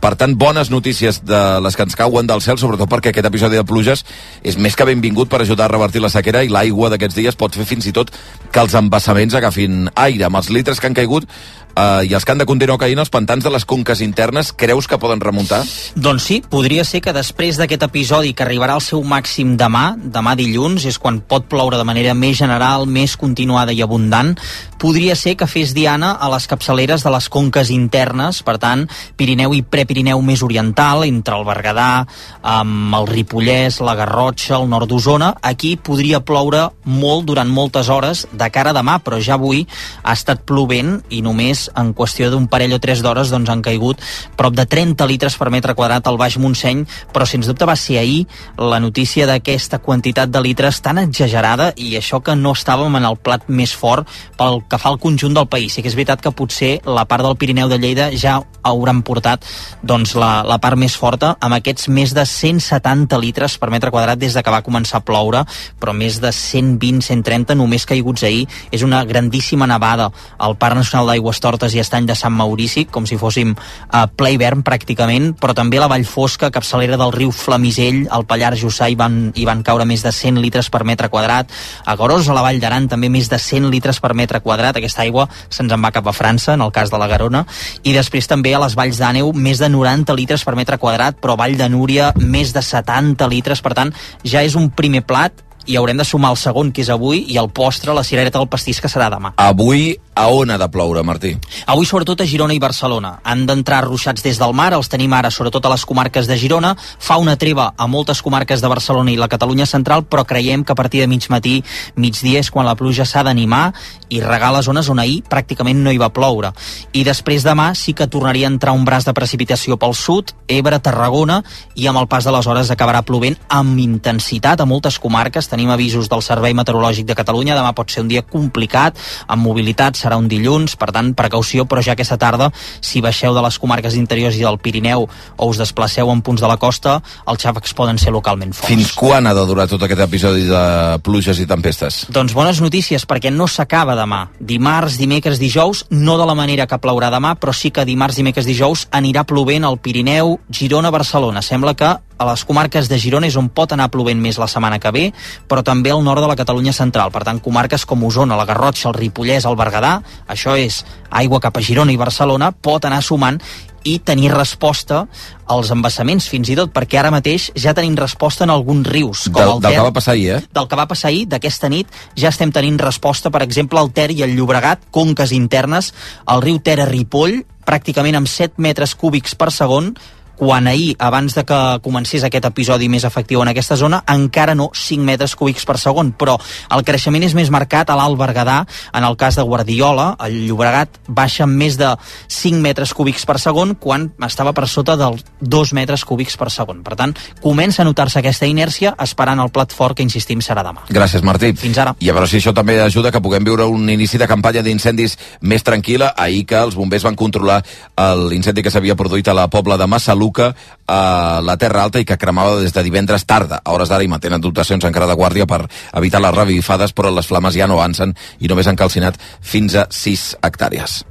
Per tant, bones notícies de les que ens cauen del cel, sobretot perquè aquest episodi de pluges és més que benvingut per ajudar a revertir la sequera, i l'aigua d'aquests dies pot fer fins i tot que els embassaments agafin aire. Amb els litres que han caigut i els que han de continuar caient, els pantans de les conques internes, creus que poden remuntar? Doncs sí, podria ser que després d'aquest episodi, que arribarà al seu màxim demà dilluns, és quan pot ploure de manera més general, més continuada i abundant, podria ser que fes diana a les capçaleres de les conques internes, per tant, Pirineu i Prepirineu més oriental, entre el Berguedà, el Ripollès, la Garrotxa, el nord d'Osona. Aquí podria ploure molt durant moltes hores de cara a demà, però ja avui ha estat plovent i només en qüestió d'un parell o 3 d'hores doncs han caigut prop de 30 litres per metre quadrat al Baix Montseny, però sens dubte va ser ahir la notícia d'aquesta quantitat de litres tan exagerada, i això que no estàvem en el plat més fort pel que fa al conjunt del país. Sí que és veritat que potser la part del Pirineu de Lleida ja hauran portat doncs la part més forta, amb aquests més de 170 litres per metre quadrat des de que va començar a ploure, però més de 120-130 només caiguts ahir. És una grandíssima nevada al Parc Nacional d'Aigües Tortes i Estany de Sant Maurici, com si fóssim a ple hivern pràcticament, però també a la Vall Fosca, capçalera del riu Flamisell, al Pallars Jussà hi van caure més de 100 litres per metre quadrat. A Garòs, a la Vall d'Aran, també més de 100 litres per metre quadrat. Aquesta aigua se'ns en va cap a França, en el cas de la Garona. I després també a les Valls d'Àneu, més de 90 litres per metre quadrat, però Vall de Núria, més de 70 litres. Per tant, ja és un primer plat, i haurem de sumar el segon, que és avui, i el postre, la cirereta del pastís, que serà demà. Avui A on ha de ploure, Martí? Avui sobretot a Girona i Barcelona. Han d'entrar ruixats des del mar, els tenim ara sobretot a les comarques de Girona, fa una treva a moltes comarques de Barcelona i la Catalunya central, però creiem que a partir de mig matí, migdia és quan la pluja s'ha d'animar i regar les zones on ahir pràcticament no hi va ploure. I després demà sí que tornaria a entrar un braç de precipitació pel sud, Ebre, Tarragona, i amb el pas de les hores acabarà plovent amb intensitat a moltes comarques. Tenim avisos del Servei Meteorològic de Catalunya, demà pot ser un dia complicat, amb mobilitat, serà un dilluns, per tant, precaució, però ja aquesta tarda, si baixeu de les comarques interiors i del Pirineu o us desplaceu en punts de la costa, els xàfecs poden ser localment forts. Fins quan ha de durar tot aquest episodi de pluges i tempestes? Doncs bones notícies, perquè no s'acaba demà. Dimarts, dimecres, dijous, no de la manera que plourà demà, però sí que dimarts, dimecres, dijous anirà plovent al Pirineu, Girona, Barcelona. Sembla que a les comarques de Girona és on pot anar plovent més la setmana que ve, però també al nord de la Catalunya central. Per tant, comarques com Osona, la Garrotxa, el Ripollès, el Berguedà, això és aigua cap a Girona i Barcelona, pot anar sumant i tenir resposta als embassaments, fins i tot, perquè ara mateix ja tenim resposta en alguns rius. Del que va passar ahir, Del que va passar ahir, d'aquesta nit, ja estem tenint resposta, per exemple, al Ter i al Llobregat, conques internes, el riu Ter a Ripoll, pràcticament amb 7 metres cúbics per segon, quan ahir, abans de que comencés aquest episodi més efectiu en aquesta zona, encara no 5 metres cúbics per segon, però el creixement és més marcat a l'Alt Berguedà, en el cas de Guardiola, el Llobregat baixa més de 5 metres cúbics per segon, quan estava per sota dels 2 metres cúbics per segon. Per tant, comença a notar-se aquesta inèrcia, esperant el plat fort, que insistim serà demà. Gràcies, Martí. Fins ara. I a veure si això també ajuda que puguem viure un inici de campanya d'incendis més tranquil·la. Ahir que els bombers van controlar l'incendi que s'havia produït a la Pobla de Massaluca, a la Terra Alta, i que cremava des de divendres tarda. A hores d'ara hi mantenen dotacions encara de guàrdia per evitar les revifades, però les flames ja no avancen i només han calcinat fins a 6 hectàrees.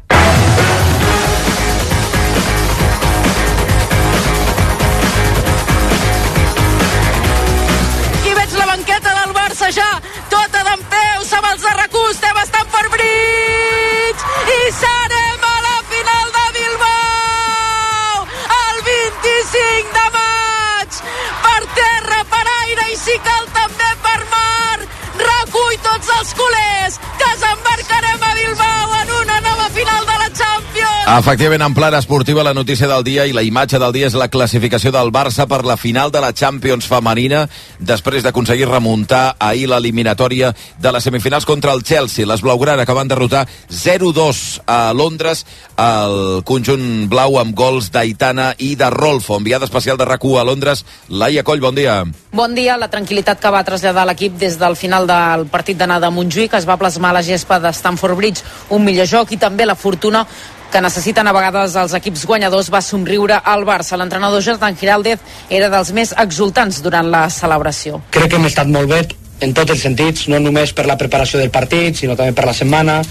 I veig la banqueta del Barça ja, tota dempeus amb els de RAC1, estem a Stamford Bridge i serem a la final de Bilbao el 25 de maig, per terra, per aire i si cal també per mar. Recull tots els culers que s'embarcarem a Bilbao en una nova final de la Champions. Efectivament, en plan esportiva, la notícia del dia i la imatge del dia és la classificació del Barça per la final de la Champions femenina, després d'aconseguir remuntar ahir l'eliminatòria de les semifinals contra el Chelsea. Les blaugrana que van derrotar 0-2 a Londres, el conjunt blau amb gols d'Aitana i de Rolfo. Enviada especial de RAC1 a Londres, Laia Coll, bon dia. Bon dia. La tranquil·litat que va traslladar l'equip des del final del partit d'anada a Montjuïc es va plasmar a la gespa de Stamford Bridge. Un millor joc i també la fortuna que necessiten a vegades els equips guanyadors va somriure al Barça. L'entrenador Jordan Giraldez era dels més exultants durant la celebració. Crec que hem estat molt bé en tots els sentits, no només per la preparació del partit, sinó també per la setmana,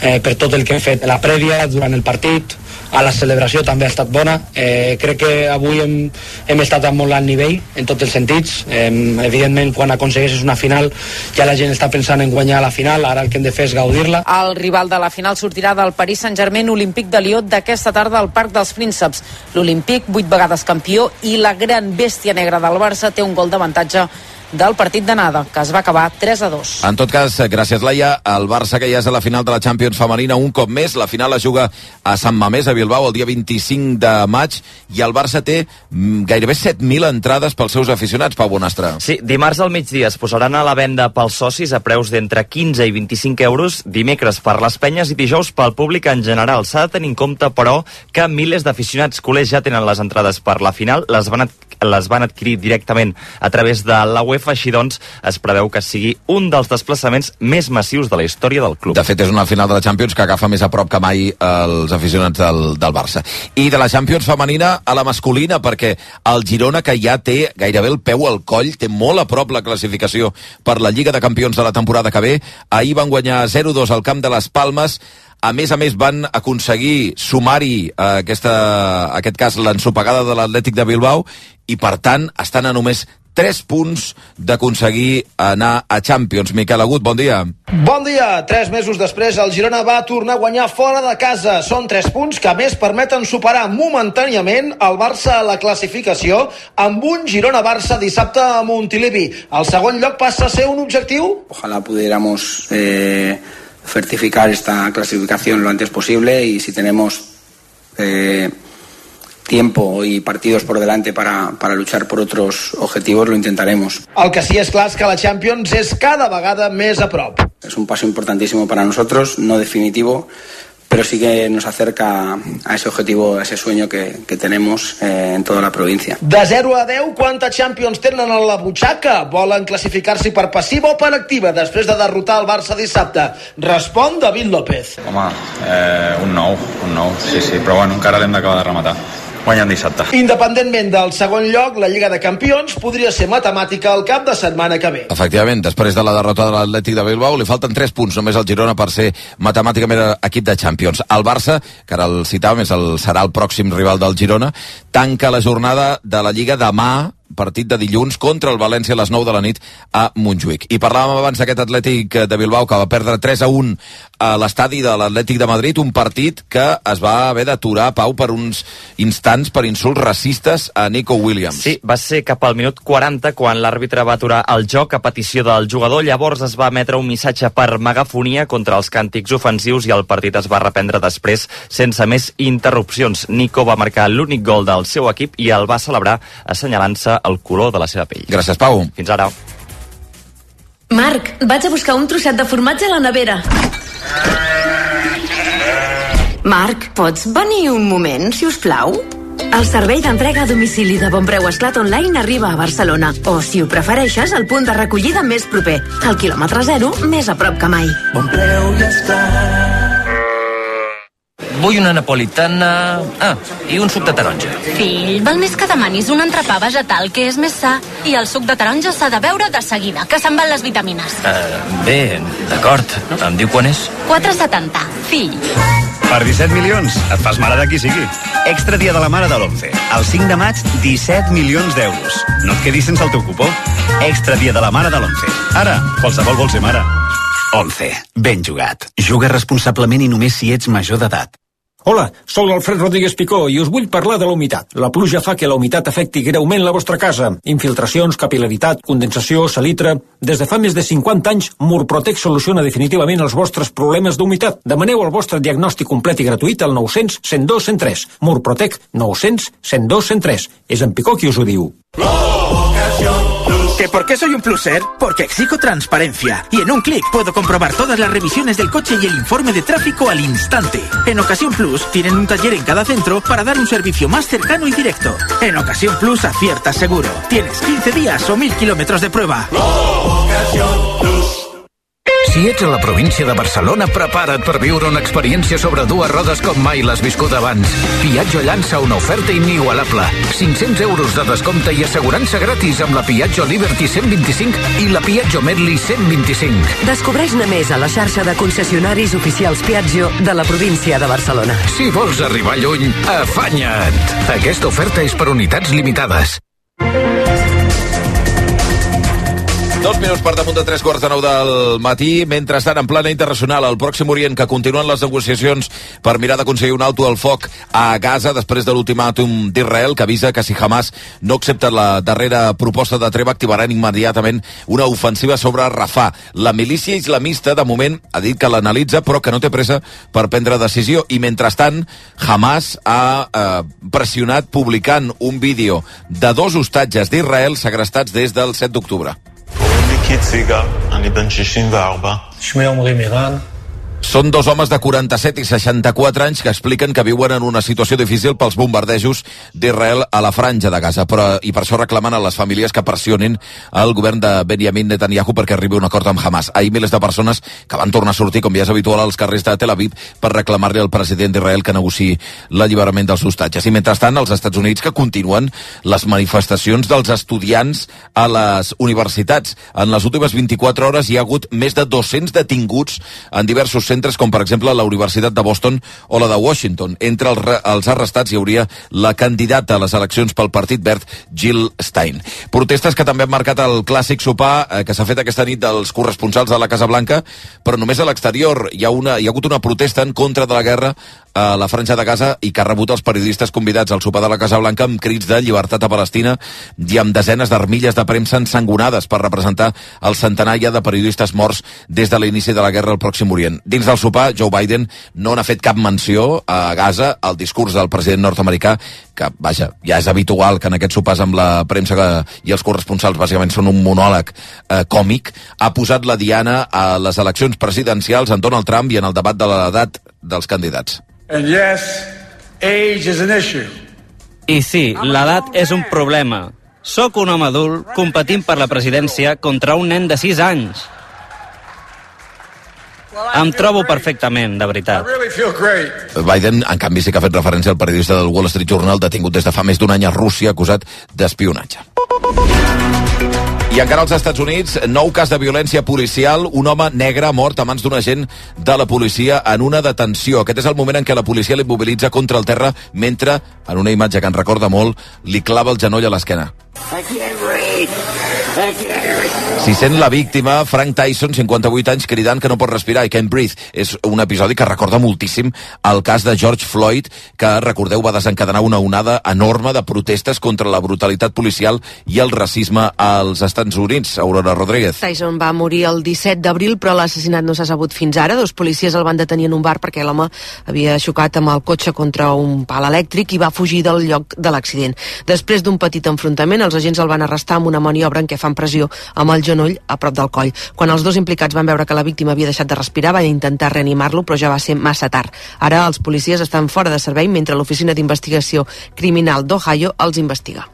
per tot el que hem fet a la prèvia, durant el partit, a la celebració també ha estat bona. Crec que avui hem estat a molt alt nivell en tots els sentits. Evidentment, quan aconsegueixes una final ja la gent està pensant en guanyar la final, ara el que hem de fer és gaudir-la. El rival de la final sortirà del Paris Saint-Germain Olímpic de Lió d'aquesta tarda al Parc dels Prínceps. L'Olímpic, 8 vegades campió, i la gran bèstia negra del Barça té un gol d'avantatge del partit d'anada, que es va acabar 3-2. En tot cas, gràcies, Laia, el Barça que ja és a la final de la Champions femenina un cop més. La final es juga a Sant Mamés, a Bilbao, el dia 25 de maig, i el Barça té gairebé 7.000 entrades pels seus aficionats, Pau Bonastre. Sí, dimarts al migdia es posaran a la venda pels socis a preus d'entre 15 i 25 euros, dimecres per les penyes i dijous pel públic en general. S'ha de tenir en compte, però, que milers d'aficionats culers ja tenen les entrades per la final, les van adquirir directament a través de la UEFA, així doncs es preveu que sigui un dels desplaçaments més massius de la història del club. De fet, és una final de la Champions que agafa més a prop que mai els aficionats del Barça. I de la Champions femenina a la masculina, perquè el Girona, que ja té gairebé el peu al coll, té molt a prop la classificació per la Lliga de Campions de la temporada que ve. Ahir van guanyar 0-2 al camp de les Palmes. A més, van aconseguir sumar-hi, aquest cas, l'ensopegada de l'Atlètic de Bilbao, i per tant estan a només 3 punts d'aconseguir anar a Champions. Miquel Agut, bon dia. Bon dia. 3 mesos després, el Girona va tornar a guanyar fora de casa. Són 3 punts que, a més, permeten superar momentàniament el Barça a la classificació amb un Girona-Barça dissabte a Montilivi. El segon lloc passa a ser un objectiu? Ojalá pudiéramos certificar esta clasificación lo antes posible y si tenemos tiempo y partidos por delante para luchar por otros objetivos, lo intentaremos. El que sí és clar és que la Champions és cada vegada més a prop. Es un paso importantísimo para nosotros, no definitivo, pero sí que nos acerca a ese objetivo, a ese sueño que tenemos en toda la provincia. De 0 a 10, quanta Champions tenen a la butxaca? Volen classificar-s'hi per passiva o per activa després de derrotar el Barça dissabte? Respon David López. Home, un 9, sí, però bueno, encara l'hem d'acabar de rematar. Guanyant dissabte. Independentment del segon lloc, la Lliga de Campions podria ser matemàtica el cap de setmana que ve. Efectivament, després de la derrota de l'Atlètic de Bilbao, li falten 3 punts només al Girona per ser matemàticament equip de Champions. El Barça, que ara el citàvem, serà el pròxim rival del Girona, tanca la jornada de la Lliga demà, partit de dilluns contra el València a les 9 de la nit a Montjuïc. I parlàvem abans d'aquest Atlètic de Bilbao que va perdre 3-1 a l'estadi de l'Atlètic de Madrid, un partit que es va haver d'aturar, Pau, per uns instants per insults racistes a Nico Williams. Sí, va ser cap al minut 40 quan l'àrbitre va aturar el joc a petició del jugador. Llavors es va emetre un missatge per megafonia contra els càntics ofensius i el partit es va reprendre després sense més interrupcions. Nico va marcar l'únic gol del seu equip i el va celebrar assenyalant-se el color de la seva pell. Gràcies, Pau. Fins ara. Marc, vaig a buscar un trosset de formatge a la nevera. Marc, pots venir un moment, si us plau? El servei d'entrega a domicili de Bon Preu Esclat Online arriba a Barcelona. O, si ho prefereixes, el punt de recollida més proper. Al quilòmetre zero, més a prop que mai. Bon Preu i Esclat. Vull una napolitana... i un suc de taronja. Fill, val més que demanis un entrepà vegetal, que és més sa. I el suc de taronja s'ha de beure de seguida, que se'n van les vitamines. Bé, d'acord. Em diu quan és? 4,70. Fill. Per 17 milions, et fas mare de qui sigui. Extra dia de la mare de l'11. El 5 de maig, 17 milions d'euros. No et quedis sense el teu cupó. Extra dia de la mare de l'11. Ara, qualsevol vol ser mare. 11. Ben jugat. Juga responsablement i només si ets major d'edat. Hola, sóc l'Alfred Rodríguez Picó i us vull parlar de la humitat. La pluja fa que la humitat afecti greument la vostra casa. Infiltracions, capil·laritat, condensació, salitre... Des de fa més de 50 anys, Murprotec soluciona definitivament els vostres problemes d'humitat. Demaneu el vostre diagnòstic complet i gratuït al 900 102 103. Murprotec 900 102 103. És en Picó qui us ho diu. ¿Que por qué soy un pluser? Porque exijo transparencia. Y en un clic puedo comprobar todas las revisiones del coche y el informe de tráfico al instante. En Ocasión Plus tienen un taller en cada centro para dar un servicio más cercano y directo. En Ocasión Plus aciertas seguro. Tienes 15 días o 1000 kilómetros de prueba. Si ets a la província de Barcelona, prepara't per viure una experiència sobre dues rodes com mai l'has viscut abans. Piaggio llança una oferta inigualable. 500 euros de descompte i assegurança gratis amb la Piaggio Liberty 125 i la Piaggio Medley 125. Descobreix-ne més a la xarxa de concessionaris oficials Piaggio de la província de Barcelona. Si vols arribar lluny, afanya't! Aquesta oferta és per unitats limitades. 2 minuts per damunt de 3:15 del matí. Mentrestant, en plana internacional, al Pròxim Orient, que continuen les negociacions per mirar d'aconseguir un alto al foc a Gaza després de l'ultimàtum d'Israel, que avisa que si Hamas no accepta la darrera proposta de treva, activaran immediatament una ofensiva sobre Rafah. La milícia islamista, de moment, ha dit que l'analitza, però que no té pressa per prendre decisió. I mentrestant, Hamas ha pressionat publicant un vídeo de 2 hostatges d'Israel segrestats des del 7 d'octubre. שמי עמרי מירן. Són 2 homes de 47 i 64 anys que expliquen que viuen en una situació difícil pels bombardejos d'Israel a la franja de Gaza, i per això reclamen a les famílies que pressionin el govern de Benjamin Netanyahu perquè arribi a un acord amb Hamas. Ahir milers de persones que van tornar a sortir, com ja és habitual, als carrers de Tel Aviv per reclamar-li al president d'Israel que negociï l'alliberament dels hostatges. I mentrestant, als Estats Units, que continuen les manifestacions dels estudiants a les universitats. En les últimes 24 hores hi ha hagut més de 200 detinguts en diversos centres centres com per exemple la Universitat de Boston o la de Washington. Entre els arrestats hi hauria la candidata a les eleccions pel Partit Verd, Jill Stein. Protestes que també han marcat el clàssic sopar que s'ha fet aquesta nit dels corresponsals de la Casa Blanca, però només a l'exterior. Hi ha hagut una protesta en contra de la guerra a la Franja de Gaza i que ha rebut els periodistes convidats al sopar de la Casa Blanca amb crits de llibertat a Palestina i amb desenes d'armilles de premsa ensangonades per representar el centenar ja de periodistes morts des de l'inici de la guerra al Pròxim Orient. Dins del sopar, Joe Biden no n'ha fet cap menció a Gaza. El discurs del president nord-americà, que, vaja, ja és habitual que en aquests sopars amb la premsa i els corresponsals bàsicament són un monòleg còmic, ha posat la diana a les eleccions presidencials en Donald Trump i en el debat de l'edat dels candidats. And yes, age is an issue. I sí, l'edat és un problema. Soc un home adult competint per la presidència contra un nen de 6 anys. Em trobo perfectament, de veritat. Biden, en canvi, sí que ha fet referència al periodista del Wall Street Journal detingut des de fa més d'un any a Rússia acusat d'espionatge. I encara als Estats Units, nou cas de violència policial, un home negre mort a mans d'un agent de la policia en una detenció. Aquest és el moment en què la policia l'immobilitza contra el terra mentre, en una imatge que en recorda molt, li clava el genoll a l'esquena. S'hi sent la víctima, Frank Tyson, 58 anys, cridant que no pot respirar i can't breathe. És un episodi que recorda moltíssim el cas de George Floyd, que, recordeu, va desencadenar una onada enorme de protestes contra la brutalitat policial i el racisme als Estats Units. Aurora Rodríguez. Tyson va morir el 17 d'abril, però l'assassinat no s'ha sabut fins ara. 2 policies el van detenir en un bar perquè l'home havia xocat amb el cotxe contra un pal elèctric i va fugir del lloc de l'accident. Després d'un petit enfrontament, els agents el van arrestar amb una maniobra en què fan pressió amb el genoll a prop del coll. Quan els 2 implicats van veure que la víctima havia deixat de respirar, van intentar reanimar-lo, però ja va ser massa tard. Ara els policies estan fora de servei mentre l'Oficina d'Investigació Criminal d'Ohio els investiga.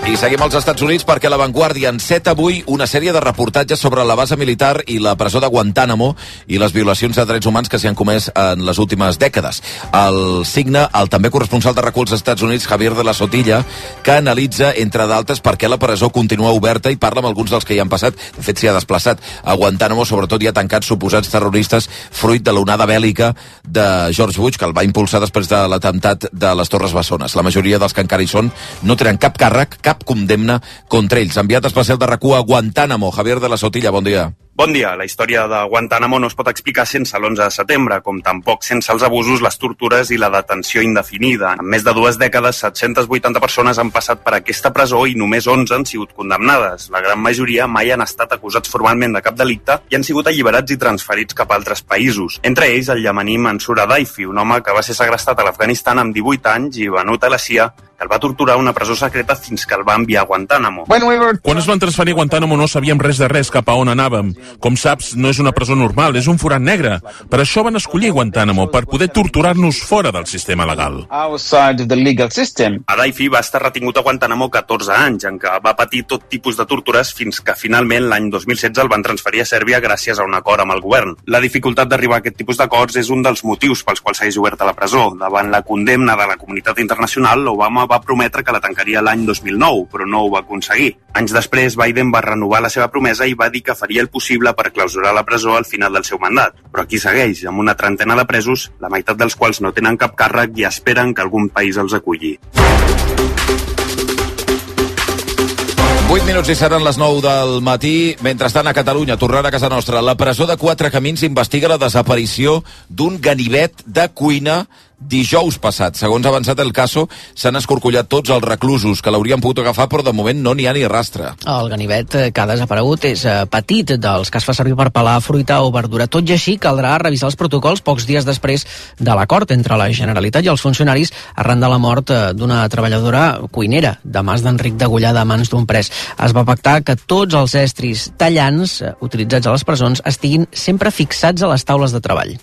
I seguim als Estats Units perquè La Vanguardia enceta avui una sèrie de reportatges sobre la base militar i la presó de Guantánamo i les violacions de drets humans que s'hi han comès en les últimes dècades. El signa el també corresponsal de RAC1 als Estats Units, Javier de la Sotilla, que analitza, entre d'altres, per què la presó continua oberta i parla amb alguns dels que hi han passat. De fet, s'hi ha desplaçat. A Guantánamo, sobretot, hi ha tancats suposats terroristes fruit de l'onada bèl·lica de George Bush, que el va impulsar després de l'atemptat de les Torres Bessones. La majoria dels que encara hi són no tenen cap càrrec, cap condemna contra ells. Enviat especial de RAC1 a Guantánamo, Javier de la Sotilla, bon dia. Bon dia. La història de Guantánamo no es pot explicar sense l'11 de setembre, com tampoc sense els abusos, les tortures i la detenció indefinida. En més de 2 dècades, 780 persones han passat per aquesta presó i només 11 han sigut condemnades. La gran majoria mai han estat acusats formalment de cap delicte i han sigut alliberats i transferits cap a altres països. Entre ells, el llamaní Mansour Adaifi, un home que va ser segrestat a l'Afganistan amb 18 anys i venut a la CIA, que el va torturar a una presó secreta fins que el va enviar a Guantánamo. Quan es van transferir a Guantánamo no sabíem res de res cap a on anàvem. Com saps, no és una presó normal, és un forat negre. Per això van escollir Guantánamo, per poder torturar-nos fora del sistema legal. Adaifi va estar retingut a Guantánamo 14 anys, en què va patir tot tipus de tortures fins que finalment l'any 2016 el van transferir a Sèrbia gràcies a un acord amb el govern. La dificultat d'arribar a aquest tipus d'acords és un dels motius pels quals segueix oberta la presó. Davant la condemna de la comunitat internacional, Obama va prometre que la tancaria l'any 2009, però no ho va aconseguir. Anys després, Biden va renovar la seva promesa i va dir que faria el possible per clausurar la presó al final del seu mandat. Però aquí segueix, amb una trentena de presos, la meitat dels quals no tenen cap càrrec i esperen que algun país els aculli. 8 minuts i seran les 9 del matí. Mentrestant, a Catalunya, tornant a casa nostra, la presó de Quatre Camins investiga la desaparició d'un ganivet de cuina dijous passat. Segons ha avançat el caso, s'han escorcollat tots els reclusos que l'haurien pogut agafar, però de moment no n'hi ha ni rastre. El ganivet que ha desaparegut és petit, dels que es fa servir per pelar fruita o verdura. Tot i així, caldrà revisar els protocols pocs dies després de l'acord entre la Generalitat i els funcionaris arran de la mort d'una treballadora cuinera de Mas d'Enric degollada a mans d'un pres. Es va pactar que tots els estris tallants utilitzats a les presons estiguin sempre fixats a les taules de treball.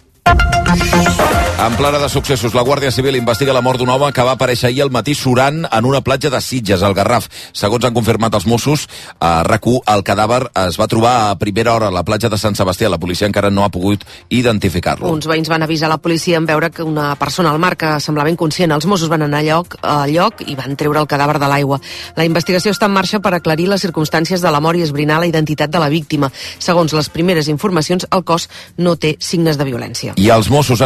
En plana de successos, la Guàrdia Civil investiga la mort d'un home que va aparèixer ahir al matí surant en una platja de Sitges, al Garraf. Segons han confirmat els Mossos, a RAC1, el cadàver es va trobar a primera hora a la platja de Sant Sebastià. La policia encara no ha pogut identificar-lo. Uns veïns van avisar la policia en veure que una persona al mar que semblava inconscient. Els Mossos van anar a lloc i van treure el cadàver de l'aigua. La investigació està en marxa per aclarir les circumstàncies de la mort i esbrinar la identitat de la víctima. Segons les primeres informacions, el cos no té signes de violència. I els Mossos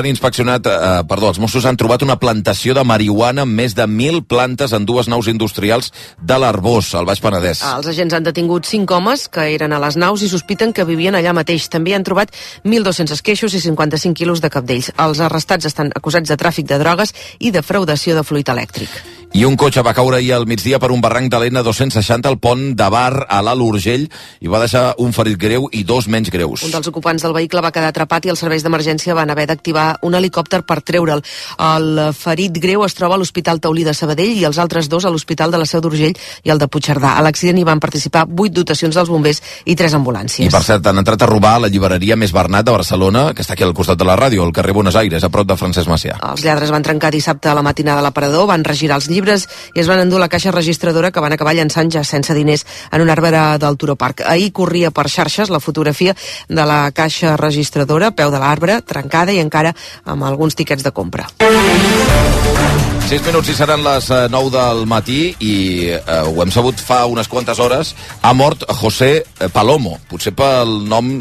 han trobat una plantació de marihuana amb més de 1.000 plantes en 2 naus industrials de l'Arbós, al Baix Penedès. Els agents han detingut 5 homes que eren a les naus i sospiten que vivien allà mateix. També han trobat 1.200 esqueixos i 55 quilos de cabdells. Els arrestats estan acusats de tràfic de drogues i defraudació de fluid elèctric. I un cotxe va caure ahir al migdia per un barranc de l'N260 al pont de Bar a l'Alt Urgell i va deixar un ferit greu i 2 menys greus. Un dels ocupants del vehicle va quedar atrapat i els serveis d'emergència van haver d'activar un helicòpter per treure'l. El ferit greu es troba a l'Hospital Taulí de Sabadell i els altres 2 a l'Hospital de la Seu d'Urgell i el de Puigcerdà. A l'accident hi van participar 8 dotacions dels bombers i 3 ambulàncies. I per cert, han entrat a robar la llibreria Més Bernat de Barcelona, que està aquí al costat de la ràdio, al carrer Buenos Aires, a prop de Francesc Macià. Els lladres van trencar dissabte a la matinada a l'aparador, van regirar els llibres i es van endur la caixa registradora que van acabar llançant ja sense diners en un arbre del Turó Park. Ahir corria per xarxes la fotografia de la caixa registradora, peu de l'arbre, trencada i encara amb alguns tiquets de compra. 6 minuts i seran les 9 del matí i ho hem sabut fa unes quantes hores. Ha mort José Palomo. Potser pel nom,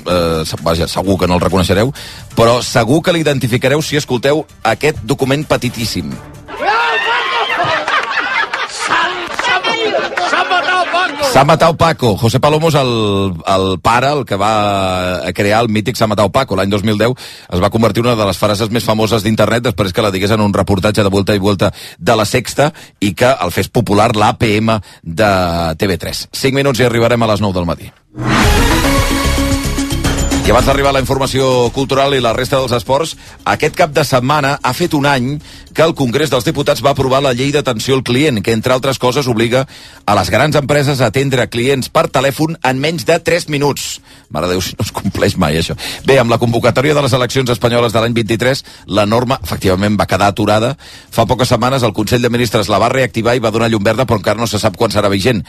vaja, segur que no el reconeixereu, però segur que l'identificareu si escolteu aquest document petitíssim. S'ha matat Paco. José Palomo és el pare, el que va crear el mític S'ha matat Paco. L'any 2010 es va convertir en una de les frases més famoses d'internet després que la digués en un reportatge de Vuelta i Vuelta de La Sexta i que el fes popular l'APM de TV3. 5 minuts i arribarem a les 9 del matí. I abans d'arribar a la informació cultural i la resta dels esports, aquest cap de setmana ha fet un any que el Congrés dels Diputats va aprovar la llei d'atenció al client, que, entre altres coses, obliga a les grans empreses a atendre clients per telèfon en menys de 3 minuts. Mare de Déu, si no es compleix mai, això. Bé, amb la convocatòria de les eleccions espanyoles de l'any 23, la norma, efectivament, va quedar aturada. Fa poques setmanes el Consell de Ministres la va reactivar i va donar llum verda, però encara no se sap quan serà vigent.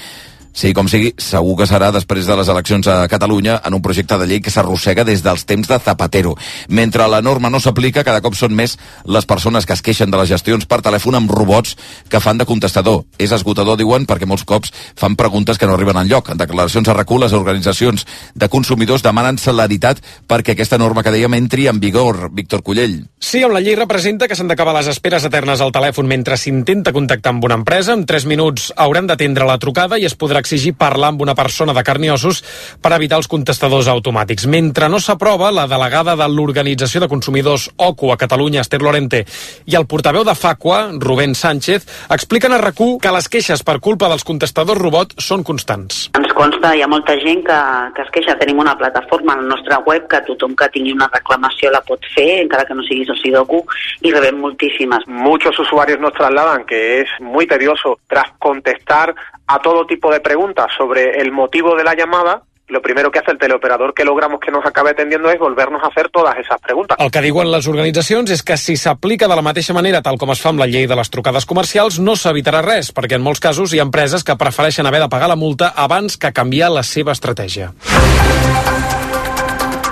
Sí, com sigui, segur que serà després de les eleccions a Catalunya en un projecte de llei que s'arrossega des dels temps de Zapatero. Mentre la norma no s'aplica, cada cop són més les persones que es queixen de les gestions per telèfon amb robots que fan de contestador. És esgotador, diuen, perquè molts cops fan preguntes que no arriben enlloc. En declaracions a RAC1, les organitzacions de consumidors demanen celeritat perquè aquesta norma que dèiem entri en vigor. Víctor Cullell. Sí, on la llei representa que s'han d'acabar les esperes eternes al telèfon mentre s'intenta contactar amb una empresa. En 3 minuts hauran d'atendre la trucada i es podrà exigir parlar amb una persona de carn i ossos per evitar els contestadors automàtics. Mentre no s'aprova, la delegada de l'Organització de Consumidors OCU a Catalunya, Esther Lorente, i el portaveu de Facua, Rubén Sánchez, expliquen a RAC1 que les queixes per culpa dels contestadors robot són constants. Ens consta, hi ha molta gent que es queixa. Tenim una plataforma a la nostra web que tothom que tingui una reclamació la pot fer, encara que no sigui soci d'OCU, i rebem moltíssimes. Muchos usuarios nos trasladan que es muy tedioso tras contestar a todo tipo de preguntas sobre el motivo de la llamada. Lo primero que hace el teleoperador que logramos que nos acabe atendiendo es volvernos a hacer todas esas preguntas. El que diuen les organitzacions és que si s'aplica de la mateixa manera tal com es fa amb la llei de les trucades comercials no s'evitarà res, perquè en molts casos hi ha empreses que prefereixen haver de pagar la multa abans que canviar la seva estratègia.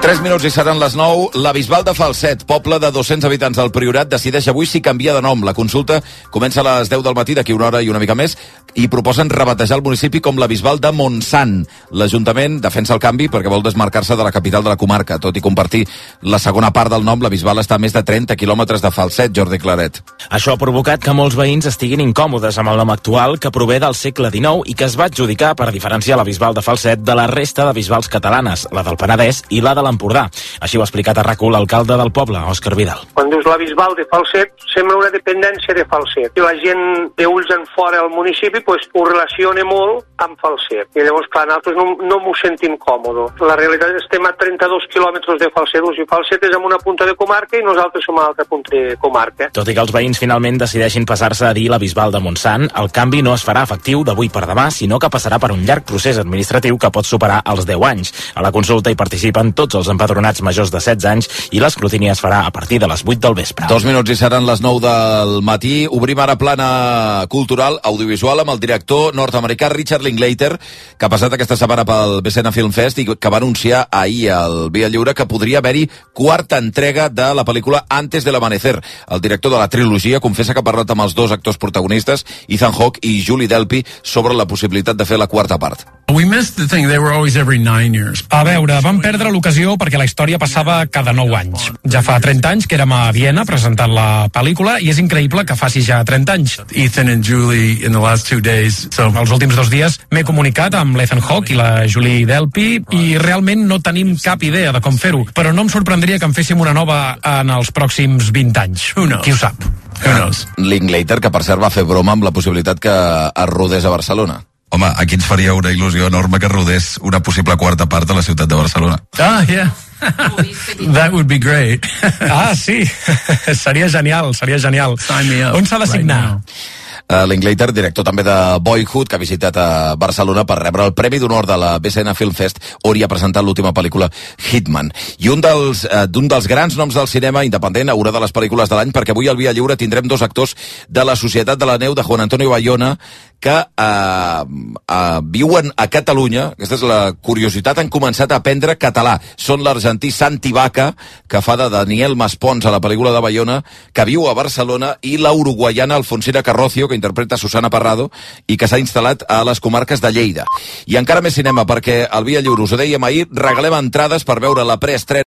3 minuts i seran les 9. La Bisbal de Falset, poble de 200 habitants del Priorat, decideix avui si canvia de nom. La consulta comença a les 10 del matí, d'aquí una hora i una mica més, i proposen rebatejar el municipi com la Bisbal de Montsant. L'Ajuntament defensa el canvi perquè vol desmarcar-se de la capital de la comarca. Tot i compartir la segona part del nom, la Bisbal està a més de 30 quilòmetres de Falset, Jordi Claret. Això ha provocat que molts veïns estiguin incòmodes amb el nom actual, que prové del segle XIX i que es va adjudicar per diferenciar la Bisbal de Falset de la resta de bisbals catalanes, la del Penedès i la de l'Empordà. Així ho ha explicat a RAC1 l'alcalde del poble, Òscar Vidal. Quan dius la Bisbal de Falset, sembla una dependència de Falset. I la gent d'ulls en fora del municipi pues, ho relaciona molt amb Falset. I llavors, clar, nosaltres no m'ho sentim còmode. La realitat és que estem a 32 quilòmetres de Falset. O sigui, Falset és en una punta de comarca i nosaltres som a l'altra punta de comarca. Tot i que els veïns finalment decideixin passar-se a dir la Bisbal de Montsant, el canvi no es farà efectiu d'avui per demà, sinó que passarà per un llarg procés administratiu que pot superar els 10 anys. A la consulta hi participen tots els empadronats majors de 16 anys i l'escrutini es farà a partir de les 8 del vespre. 2 minuts i seran les 9 del matí. Obrim ara plana cultural audiovisual amb el director nord-americà Richard Linklater, que ha passat aquesta setmana pel Becena Film Fest i que va anunciar ahir al Via Lliure que podria haver-hi quarta entrega de la pel·lícula Antes del Amanecer. El director de la trilogia confessa que ha parlat amb els dos actors protagonistes, Ethan Hawke i Julie Delpy, sobre la possibilitat de fer la quarta part. We missed the thing, they were always every 9 years. A veure, vam perdre l'ocasió perquè la història passava cada 9 anys. Ja fa 30 anys que érem a Viena presentant la pel·lícula i és increïble que faci ja 30 anys. Ethan and Julie in the last 2 days. So, els últims 2 dies m'he comunicat amb l'Ethan Hawke i la Julie Delpy i realment no tenim cap idea de com fer-ho, però no em sorprendria que en féssim una nova en els pròxims 20 anys. Qui ho sap? Linklater, que per cert va fer broma amb la possibilitat que es rodés a Barcelona. Home, aquí ens faria una il·lusió enorme que rodés una possible quarta part a la ciutat de Barcelona. Yeah. That would be great. Sí. Seria genial, seria genial. Sign me up. On s'ha de signar? Linklater, director també de Boyhood, que ha visitat a Barcelona per rebre el Premi d'Honor de la BCN Film Fest, on hi ha presentat l'última pel·lícula Hitman. I un dels grans noms del cinema independent a una de les pel·lícules de l'any, perquè avui al Via Lliure tindrem 2 actors de la Societat de la Neu de Juan Antonio Bayona que viuen a Catalunya. Aquesta és la curiositat, han començat a aprendre català. Són l'argentí Santi Vaca, que fa de Daniel Maspons a la pel·lícula de Bayona, que viu a Barcelona, i la uruguaiana Alfonsina Carrocio, que interpreta Susana Parrado i que s'ha instal·lat a les comarques de Lleida. I encara més cinema, perquè al Via Lliure, us ho dèiem ahir, regalem entrades per veure la preestrena